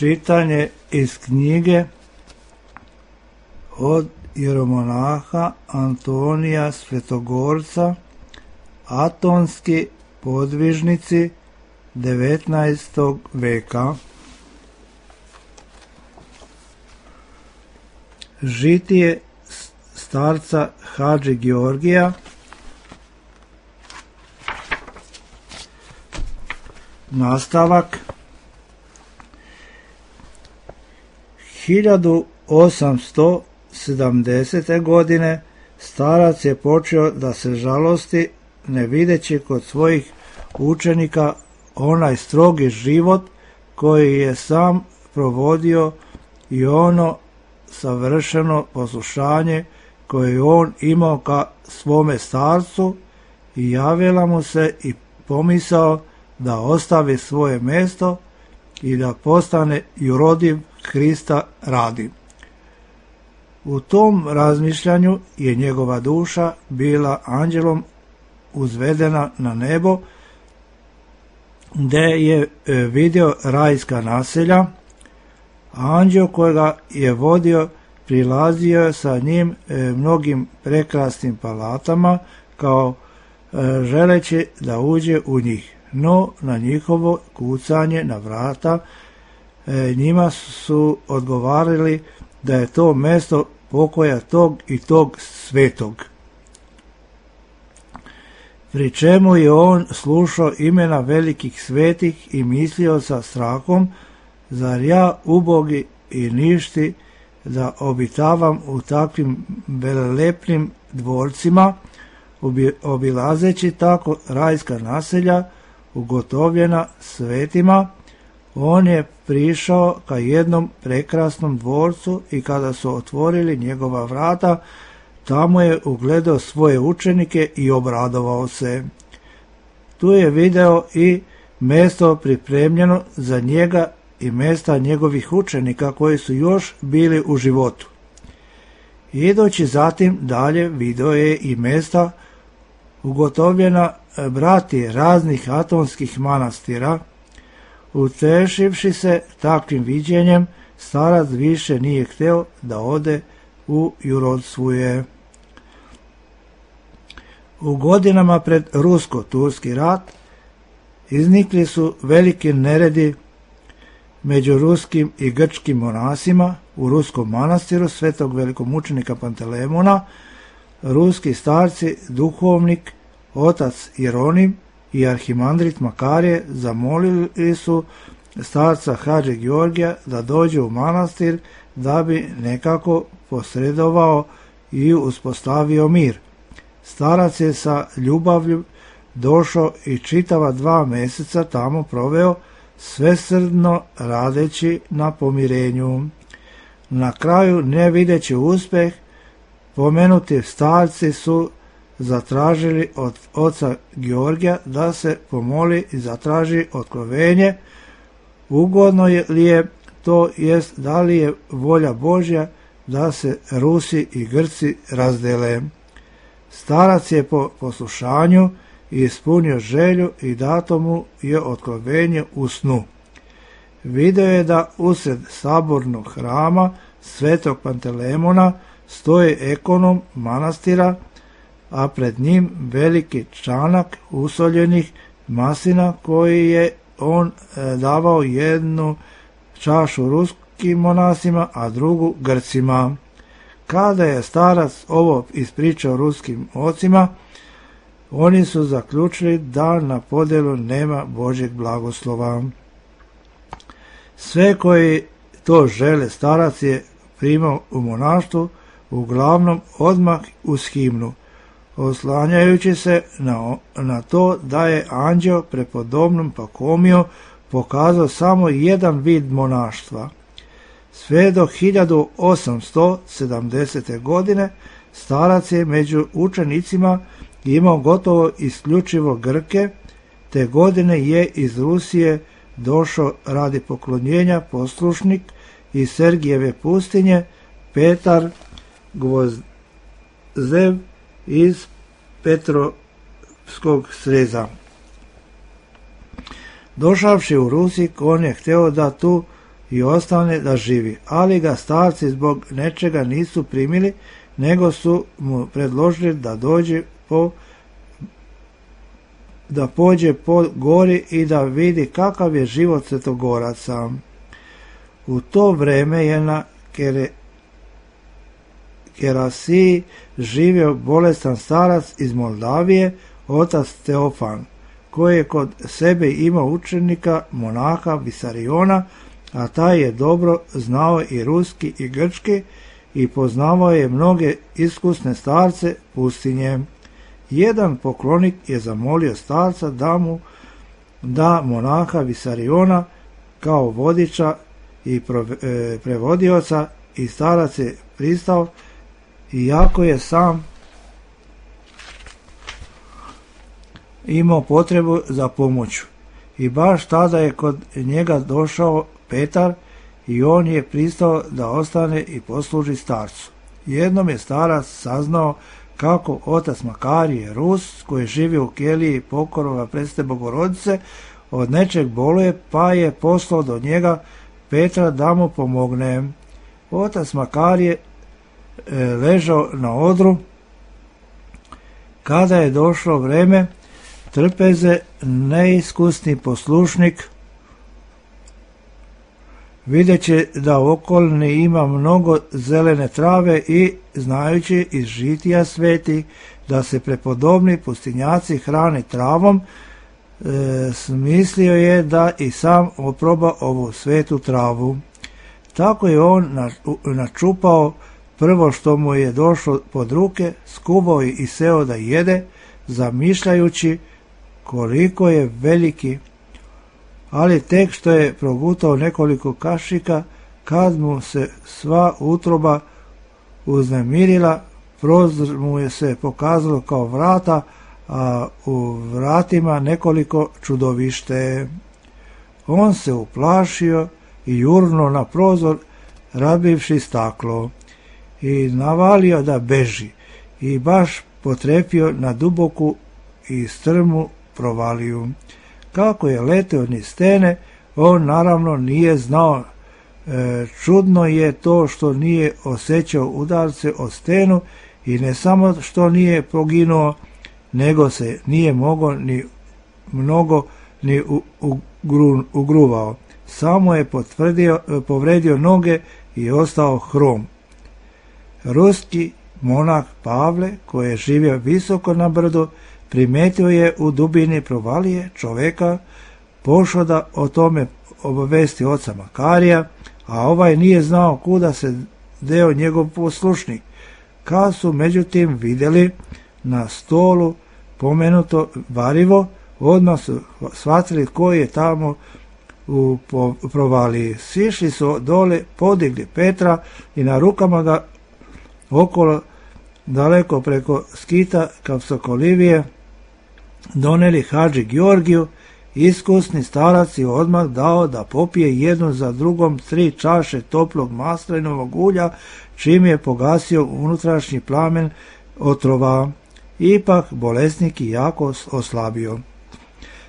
Čitanje iz knjige od jeromonaha Antonija Svetogorca, Atonski podvižnici 19. veka. Žitije starca Hadži Georgija. Nastavak. 1870. godine starac je počeo da se žalosti, ne videći kod svojih učenika onaj strogi život koji je sam provodio i ono savršeno poslušanje koje on imao ka svome starcu, i javila mu se i pomisao da ostavi svoje mjesto i da postane jurodiv Hrista radi. U tom razmišljanju je njegova duša bila anđelom uzvedena na nebo, gdje je vidio rajska naselja. Anđeo kojega je vodio prilazio je sa njim mnogim prekrasnim palatama, kao želeći da uđe u njih. No na njihovo kucanje na vrata njima su odgovarali da je to mjesto pokoja tog i tog svetog. Pri čemu je on slušao imena velikih svetih i mislio sa strahom, zar ja ubogi i ništi da obitavam u takvim velelepnim dvorcima, obilazeći tako rajska naselja ugotovljena svetima. On je prišao ka jednom prekrasnom dvorcu i kada su otvorili njegova vrata, tamo je ugledao svoje učenike i obradovao se. Tu je video i mjesto pripremljeno za njega i mjesta njegovih učenika koji su još bili u životu. Idući zatim dalje video je i mjesta ugotovljena brati raznih atonskih manastira. Utešivši se takvim viđenjem, starac više nije htio da ode u jurodstvo. U godinama pred rusko-turski rat iznikli su veliki neredi među ruskim i grčkim monasima u ruskom manastiru svetog velikomučenika Pantelemona. Ruski starci, duhovnik, otac Jeronim i arhimandrit Makarije zamolili su starca Hadži Georgija da dođe u manastir da bi nekako posredovao i uspostavio mir. Starac je sa ljubavlju došao i čitava 2 mjeseca tamo proveo, svesrdno radeći na pomirenju. Na kraju, ne videći uspjeh, pomenuti starci su zatražili od oca Georgija da se pomoli i zatraži otkrovenje, ugodno li je to, jest da li je volja Božja da se Rusi i Grci razdele. Starac je po poslušanju ispunio želju i dato mu je otkrovenje u snu. Video je da usred sabornog hrama svetog Pantelemona stoji ekonom manastira, a pred njim veliki čanak usoljenih maslina koji je on davao jednu čašu ruskim monasima, a drugu Grcima. Kada je starac ovo ispričao ruskim ocima, oni su zaključili da na podjelu nema Božjeg blagoslova. Sve koji to žele starac je primao u monaštvu, uglavnom odmah uz himnu, oslanjajući se na to da je anđeo prepodobnom Pakomiju pokazao samo jedan vid monaštva. Sve do 1870. godine starac je među učenicima imao gotovo isključivo Grke, te godine je iz Rusije došao radi poklonjenja poslušnik iz Sergijeve pustinje Petar Gvozdev iz Petrovskog sreza. Došavši u Rusik, on je htio da tu i ostane da živi, ali ga starci zbog nečega nisu primili, nego su mu predložili da pođe po gori i da vidi kakav je život svetogoraca. U to vreme je na Kerasiji živio bolestan starac iz Moldavije, otac Teofan, koji je kod sebe imao učenika monaha Visariona, a taj je dobro znao i ruski i grčki i poznavao je mnoge iskusne starce pustinje. Jedan poklonik je zamolio starca da mu da monaha Visariona kao vodiča i prevodioca i starac je pristao, iako je sam imao potrebu za pomoću. I baš tada je kod njega došao Petar i on je pristao da ostane i posluži starcu. Jednom je starac saznao kako otac Makarije Rus, koji živi u keliji Pokorova Presvete Bogorodice, od nečeg boluje, pa je poslao do njega Petra da mu pomogne. Otac Makarije ležao na odru. Kada je došlo vreme trpeze, neiskusni poslušnik, videći da u okolini ima mnogo zelene trave i znajući iz žitija sveti da se prepodobni pustinjaci hrani travom, smislio je da i sam oproba ovu svetu travu. Tako je on načupao prvo što mu je došlo pod ruke, skubao i seo da jede, zamišljajući koliko je veliki, ali tek što je progutao nekoliko kašika, kad mu se sva utroba uznemirila, prozor mu je se pokazalo kao vrata, a u vratima nekoliko čudovište. On se uplašio i jurnuo na prozor, razbivši staklo, i navalio da beži, i baš potrefio na duboku i strmu provaliju. Kako je leteo niz stene, on naravno nije znao. Čudno je to što nije osjećao udarce o stenu i ne samo što nije poginuo, nego se nije mogao ni mnogo ni ugruvao. Samo je povredio noge i ostao hrom. Ruski monah Pavle, koji je živio visoko na brdu, primetio je u dubini provalije čoveka, pošao da o tome obavesti oca Makarija, a ovaj nije znao kuda se deo njegov poslušnik. Kad su međutim vidjeli na stolu pomenuto varivo, odmah su shvatili koji je tamo u provaliji. Sišli su dole, podigli Petra i na rukama ga okolo, daleko preko skita Kapsokolivije, doneli hadži Georgiju. Iskusni starac je odmah dao da popije jednu za drugom 3 čaše toplog maslinovog ulja, čim je pogasio unutrašnji plamen otrova. Ipak bolesnik i jako oslabio.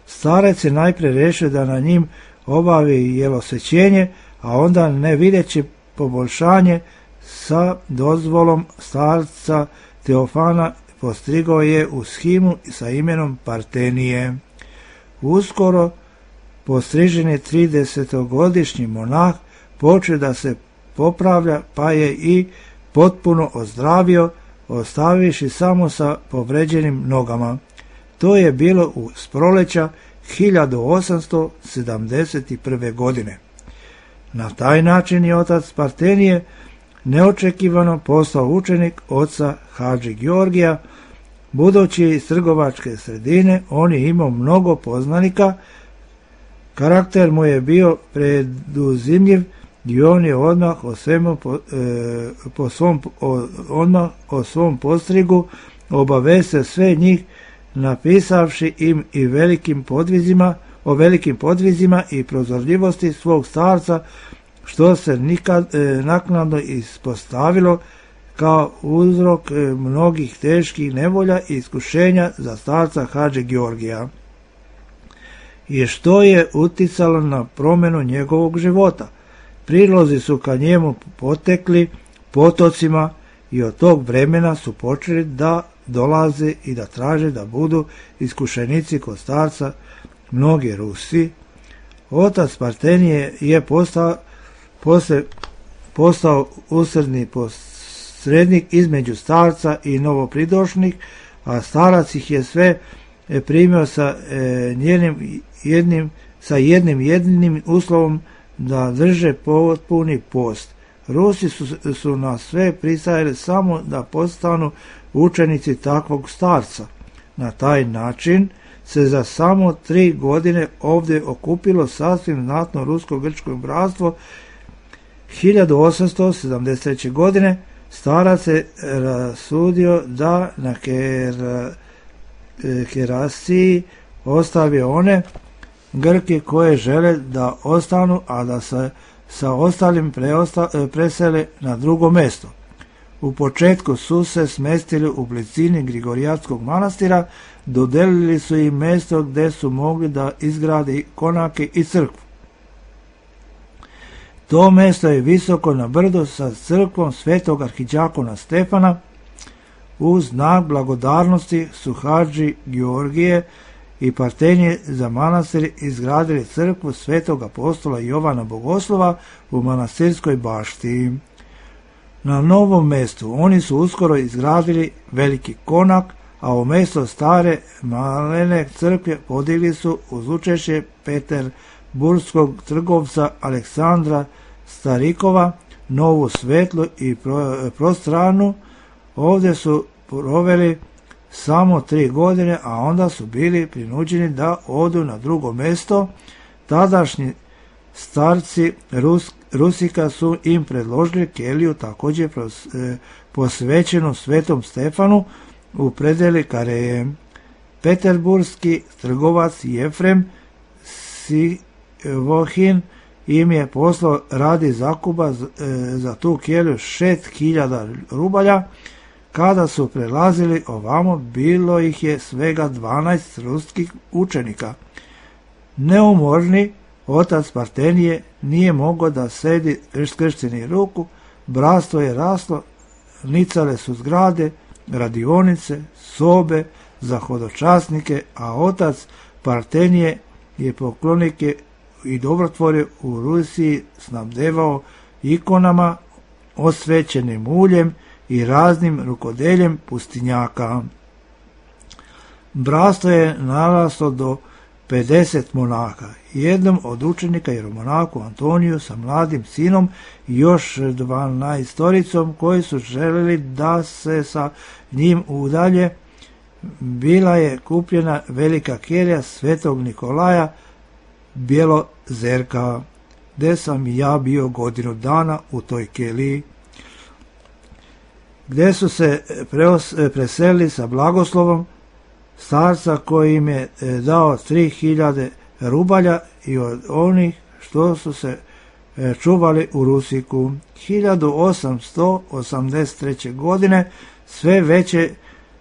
Starac je najprije rešio da na njim obavi jelosečenje, a onda, ne videći poboljšanje, sa dozvolom starca Teofana postrigao je u shimu sa imenom Partenije. Uskoro postriženi 30-godišnji monah počeo da se popravlja, pa je i potpuno ozdravio, ostaviši samo sa povređenim nogama. To je bilo uz proleća 1871. godine. Na taj način je otac Partenije neočekivano postao učenik oca hadži Georgija. Budući iz trgovačke sredine, on je imao mnogo poznanika, karakter mu je bio preduzimljiv i on je odmah o svom postrigu obavestio sve njih, napisavši im i o velikim podvizima i prozorljivosti svog starca, što se nikad naknadno ispostavilo kao uzrok mnogih teških nevolja i iskušenja za starca hadži Georgija, i što je uticalo na promjenu njegovog života. Prilozi su ka njemu potekli potocima i od tog vremena su počeli da dolaze i da traže da budu iskušenici kod starca mnogi Rusi. Otac Partenije je postao usredni posrednik između starca i novopridošlih, a starac ih je sve primio sa jednim jedinim uslovom da drže potpuni post. Rusi su na sve pristajali samo da postanu učenici takvog starca. Na taj način se za samo 3 godine ovdje okupilo sasvim znatno rusko-grčko bratstvo. 1873. godine starac se rasudio da na Kerasiji ostavi one Grke koje žele da ostanu, a da se sa ostalim presele na drugo mjesto. U početku su se smestili u blizini Grigorijatskog manastira, dodelili su im mjesto gdje su mogli da izgradi konake i crkvu. To mjesto je visoko na brdu sa crkvom svetog arhidjakona Stefana. U znak blagodarnosti su hadži Georgije i Partenije za manastir izgradili crkvu svetog apostola Jovana Bogoslova u manastirskoj bašti. Na novom mjestu oni su uskoro izgradili veliki konak, a u mjesto stare malene crkve podigli su uz učešće peterburskog trgovca Aleksandra Starikova novu svetlu i prostranu. Ovdje su proveli samo 3 godine, a onda su bili prinuđeni da odu na drugo mjesto. Tadašnji starci Rusika su im predložili keliju također posvećenu Svetom Stefanu u predeli Kareje. Peterburski trgovac Jefrem Sivohin im je poslao radi zakupa za tu keliju 6.000 rubalja. Kada su prelazili ovamo, bilo ih je svega 12 ruskih učenika. Neumorni otac Partenije nije mogao da sedi skršteni ruku, bratstvo je raslo, nicale su zgrade, radionice, sobe za hodočasnike, a otac Partenije je poklonike i dobrotvorje u Rusiji snabdevao ikonama, osvećenim uljem i raznim rukodeljem pustinjaka. Bratstvo je naraslo do 50 monaka. Jednom od učenika je monaku Antoniju sa mladim sinom i još 12 koji su željeli da se sa njim udalje. Bila je kupljena velika kelija svetog Nikolaja Bjelozerka, gdje sam i ja bio godinu dana u toj keliji, gdje su se preselili sa blagoslovom starca koji im je dao 3.000 rubalja i od onih što su se čuvali u Rusiku. 1883. godine sve veće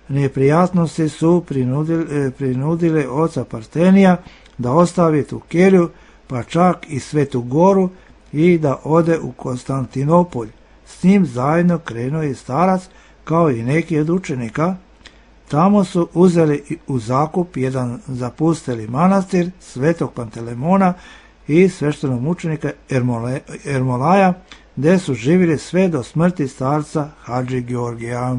neprijatnosti su prinudile oca Partenija da ostavi tu keliju, pa čak i Svetu Goru, i da ode u Konstantinopolj. S njim zajedno krenuo je starac kao i neki od učenika. Tamo su uzeli u zakup jedan zapusteli manastir svetog Pantelemona i sveštenog mučenika Ermolaja, gdje su živjeli sve do smrti starca hadži Georgija.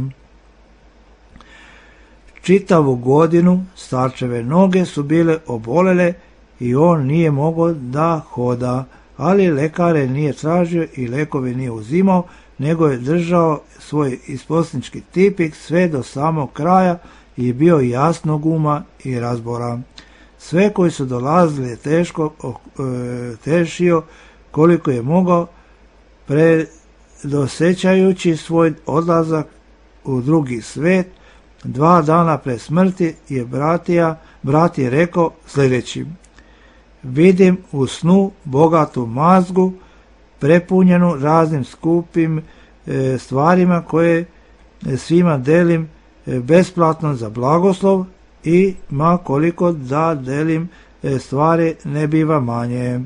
Čitavu godinu starčeve noge su bile obolele i on nije mogao da hoda, ali lekare nije tražio i lekove nije uzimao, nego je držao svoj isposnički tipik sve do samog kraja i bio jasnog uma i razbora. Sve koji su dolazili teško tešio koliko je mogao, predosećajući svoj odlazak u drugi svet. 2 dana pre smrti je brat je rekao sljedeći: vidim u snu bogatu mazgu prepunjenu raznim skupim stvarima koje svima delim besplatno za blagoslov, i ma koliko da delim stvari ne biva manje.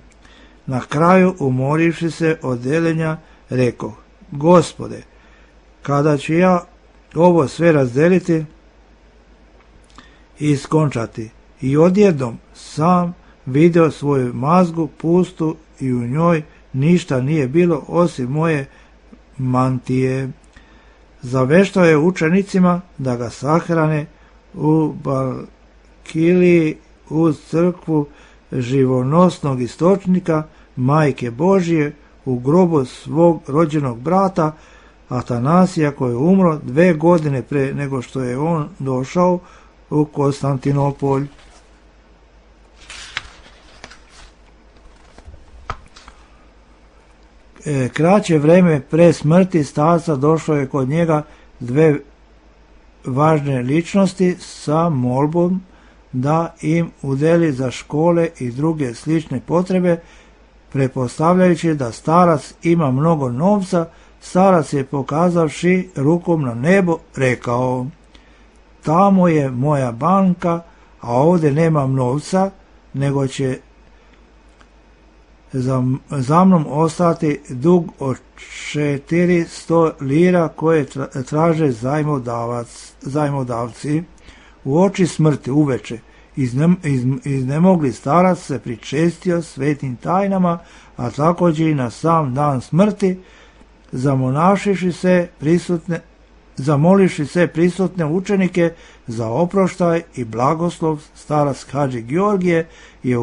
Na kraju, umorivši se od deljenja, rekao: Gospode, kada ću ja ovo sve razdeliti i skončati? I odjednom sam video svoju mazgu pustu i u njoj ništa nije bilo osim moje mantije. Zaveštao je učenicima da ga sahrane u Balkiliji uz crkvu živonosnog istočnika Majke Božije u grobu svog rođenog brata Atanasija, koji je umro 2 godine pre nego što je on došao u Konstantinopolj. Kraće vreme pre smrti starca došlo je kod njega 2 važne ličnosti sa molbom da im udeli za škole i druge slične potrebe. Pretpostavljajući da starac ima mnogo novca, starac je, pokazavši rukom na nebo, rekao: Tamo je moja banka, a ovdje nemam novca, nego će za mnom ostati dug od 400 lira koje traže zajmodavci. U oči smrti uveče iznemogli starac se pričestio svetim tajnama, a također i na sam dan smrti, zamolivši se prisutne učenike za oproštaj i blagoslov, starac Hadži Georgije je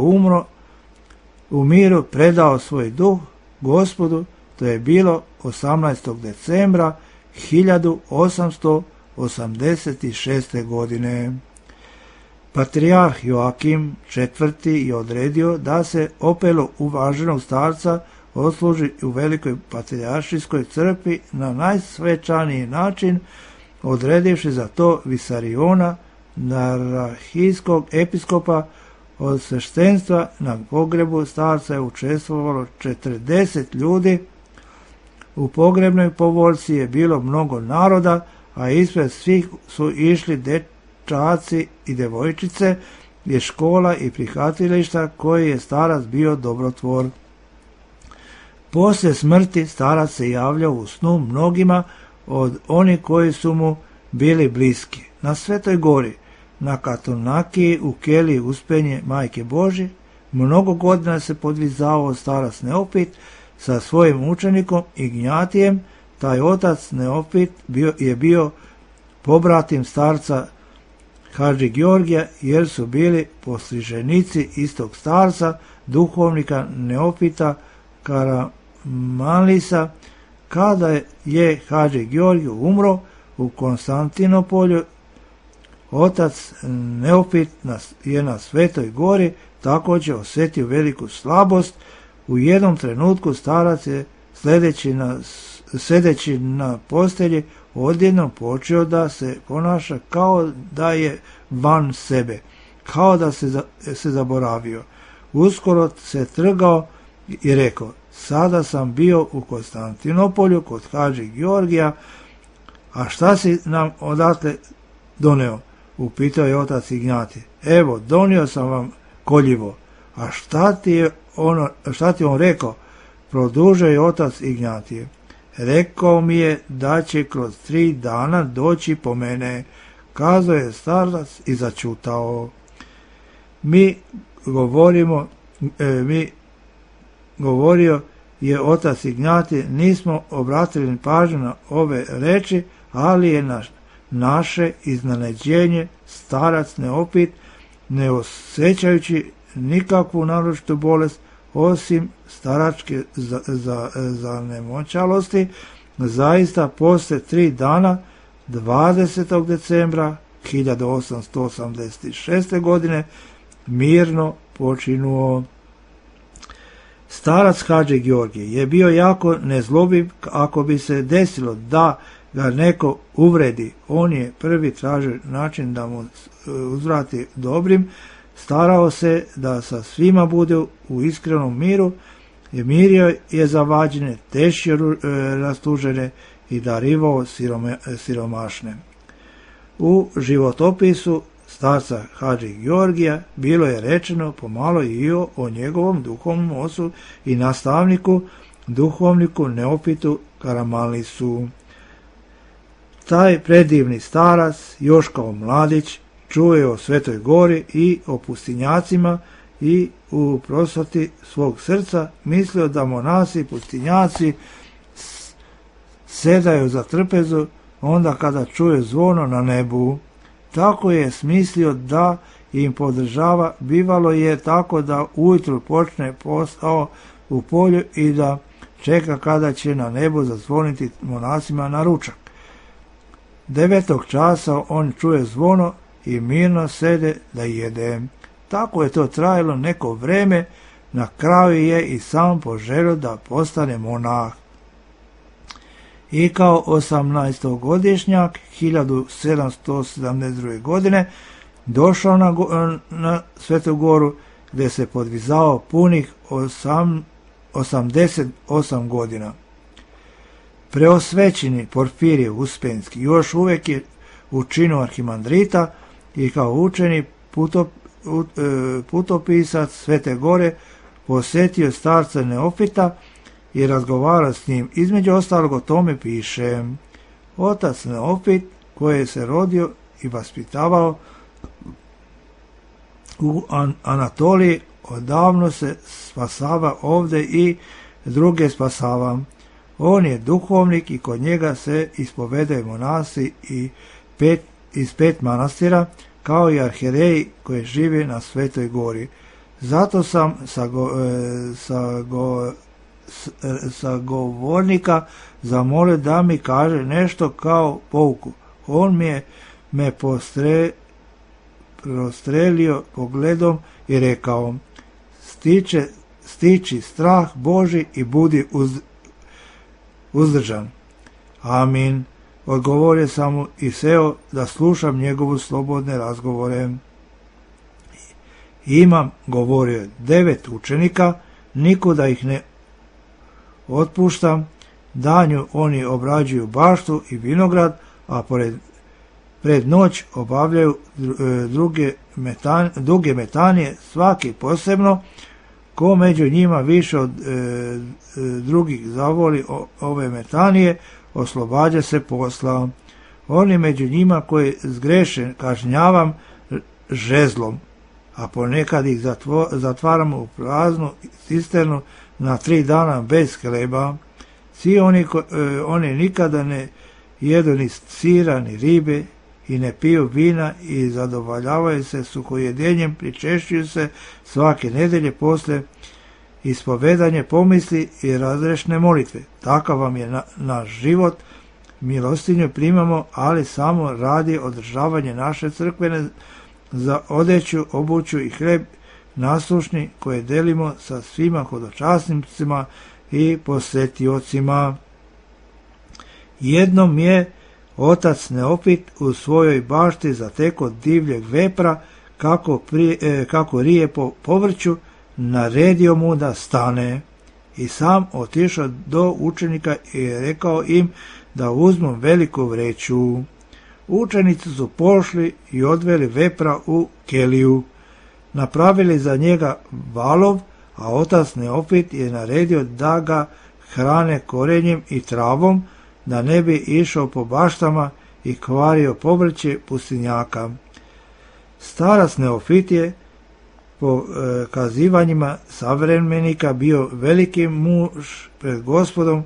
u miru predao svoj duh Gospodu. To je bilo 18. decembra 1886. godine. Patrijarh Joakim IV. Je odredio da se opelo uvaženog starca odsluži u Velikoj patrijaršijskoj crkvi na najsvečaniji način, odredivši za to Visariona, narahijskog episkopa. Od sveštenstva na pogrebu starca je učestvovalo 40 ljudi. U pogrebnoj povoljci je bilo mnogo naroda, a ispred svih su išli dečaci i devojčice iz škola i prihvatilišta koji je starac bio dobrotvor. Poslije smrti starac se javljao u snu mnogima od onih koji su mu bili bliski. Na Svetoj gori, na Katonakiji, u keliji Uspenje Majke Božje, mnogo godina se podvizavao starac Neopit sa svojim učenikom Ignjatijem. Taj otac Neopit je bio pobratim starca Hadži Georgija, jer su bili postriženici istog starca, duhovnika Neopita Karamanlisa. Kada je Hadži Georgij umro u Konstantinopolju, otac Neopit je na Svetoj gori također osjetio veliku slabost. U jednom trenutku starac je sedeći na postelji odjednom počeo da se ponaša kao da je van sebe, kao da se zaboravio. Uskoro se trgao i rekao: Sada sam bio u Konstantinopolju kod Hadži Georgija, a šta si nam odatle doneo? Upitao je otac Ignjatije. Evo, donio sam vam koljivo. A šta ti on rekao? Produžio je otac Ignjatije. Rekao mi je da će kroz 3 dana doći po mene. Kazao je starac i začutao. Govorio je otac Ignjatije, nismo obratili pažnju na ove reči, ali je naše iznenađenje starac Neopit, ne osjećajući nikakvu naročitu bolest osim staračke zanemoćalosti, zaista poslije 3 dana 20. decembra 1886. godine mirno počinuo. Starac Hadži Georgij je bio jako nezlobiv. Ako bi se desilo da ga neko uvredi, on je prvi tražio način da mu uzvrati dobrim. Starao se da sa svima bude u iskrenom miru, mirio je zavađene, tešio rastužene i darivao siromašne. U životopisu starca Hadži Georgija bilo je rečeno pomalo i o njegovom duhovnom ocu i nastavniku, duhovniku Neofitu Karamanlisu. Taj predivni starac, još kao mladić, čuo je o Svetoj gori i o pustinjacima i u prosvati svog srca mislio da monasi i pustinjaci sedaju za trpezu onda kada čuje zvono na nebu. Tako je smislio da im podržava, bivalo je tako da ujutru počne posao u polju i da čeka kada će na nebu zazvoniti monasima na ručak. 9. časa on čuje zvono i mirno sede da jede. Tako je to trajalo neko vreme, na kraju je i sam poželio da postane monah. I kao 18-godišnjak 1772. godine došao na Svetu goru gdje se podvizao punih 88 godina. Preosvećeni Porfirije Uspenski još uvijek je u činu arhimandrita i kao učeni putopisac Svete gore posjetio starca Neofita i razgovarao s njim. Između ostalog o tome piše: otac Neofit koji se rodio i vaspitavao u Anatoliji odavno se spasava ovdje i druge spasava. On je duhovnik i kod njega se ispovedaju monasi iz 5 manastira, kao i arhijereji koji žive na Svetoj gori. Zato sam sa govornika zamolio da mi kaže nešto kao pouku. On me prostrelio pogledom i rekao: stiči strah Boži i budi uzdržan. Amin. Odgovorio sam mu i seo da slušam njegovu slobodne razgovore. Imam, govorio je, 9 učenika, nikuda ih ne otpuštam, danju oni obrađuju baštu i vinograd, a pred noć obavljaju duge metanije, svaki posebno. Ko među njima više od drugih zavoli ove metanije, oslobađa se posla. Oni među njima koji zgreše kažnjavam žezlom, a ponekad ih zatvaramo u praznu cisternu na 3 dana bez hleba. Svi oni nikada ne jedu ni sira ni ribe i ne piju vina i zadovoljavaju se suhojedjenjem, pričešćuju se svake nedelje posle ispovedanje pomisli i razrešne molitve. Takav vam je naš život. Milostinju primamo, ali samo radi održavanje naše crkvene, za odeću, obuću i hleb naslušni koje delimo sa svima hodočasnicima i posetiocima. Jednom je otac Neofit u svojoj bašti zateko divljeg vepra kako rije po povrću, naredio mu da stane i sam otišao do učenika i rekao im da uzmu veliku vreću. Učenici su pošli i odveli vepra u keliju, napravili za njega valov, a otac Neofit je naredio da ga hrane korenjem i travom, da ne bi išao po baštama i kvario povrće pustinjaka. Starac Neofit je po kazivanjima savremenika bio veliki muž pred Gospodom.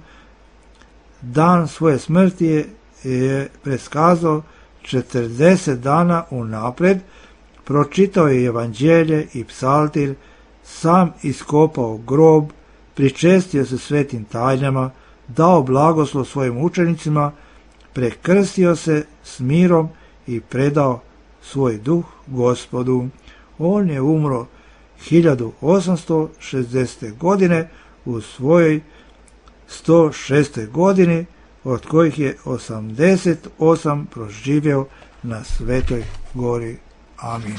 Dan svoje smrti je preskazao 40 dana unapred, pročitao je evanđelje i psaltir, sam iskopao grob, pričestio se svetim tajnama, dao blagoslov svojim učenicima, prekrstio se s mirom i predao svoj duh Gospodu. On je umro 1860. godine u svojoj 106. godini, od kojih je 88 proživio na Svetoj gori. Amin.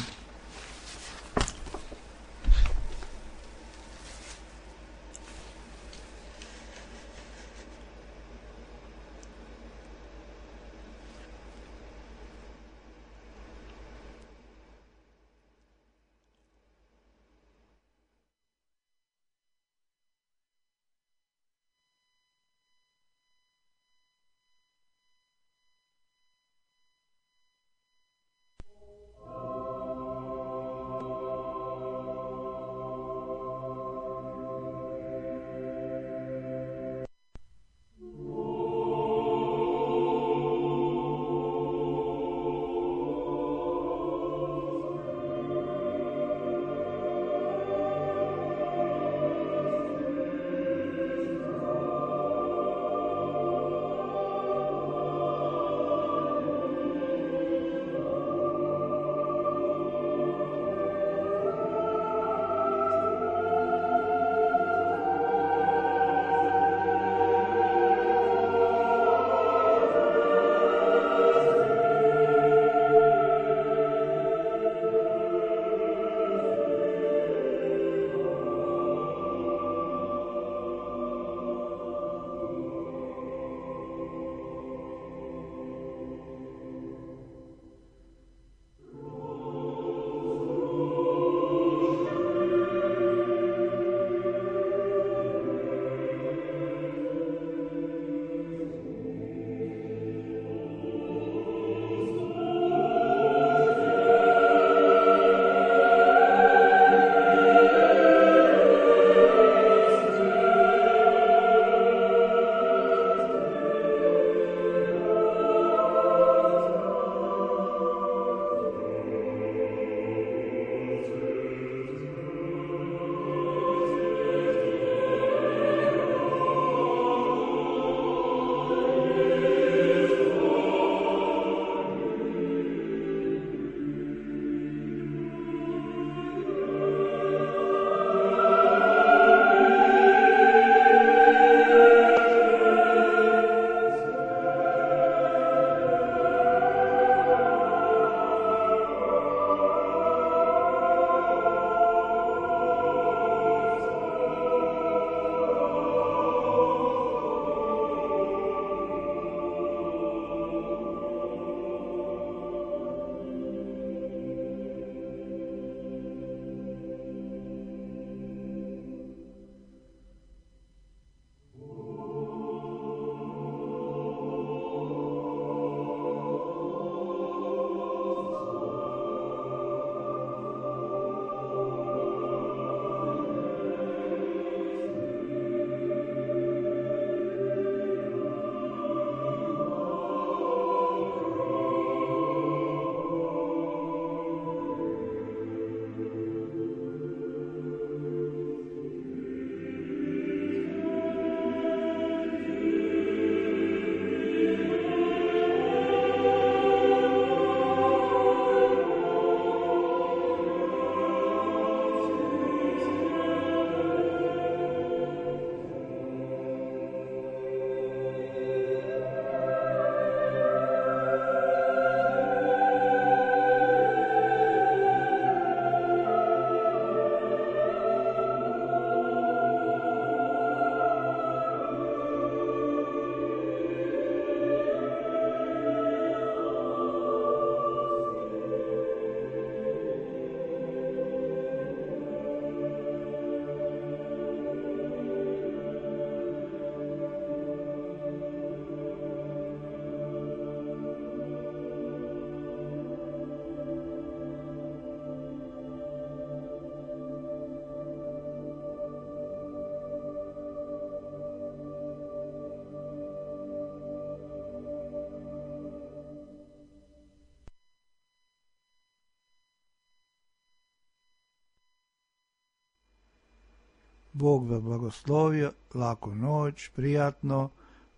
Bog vas blagoslovio, laku noć, prijatno.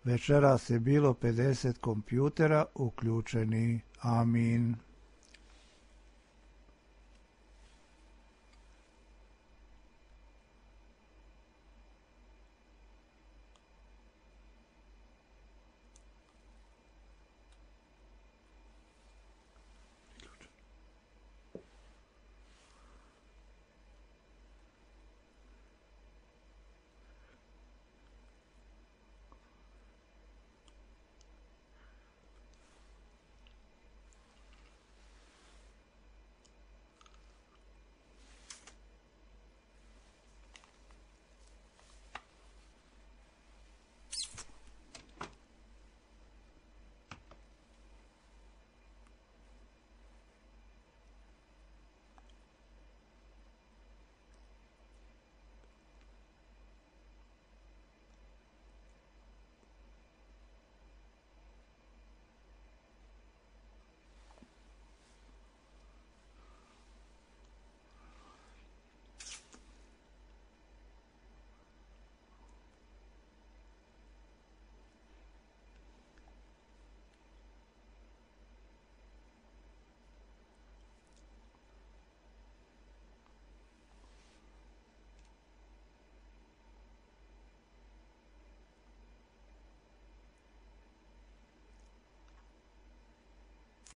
Večeras je bilo 50 kompjutera uključeni. Amin.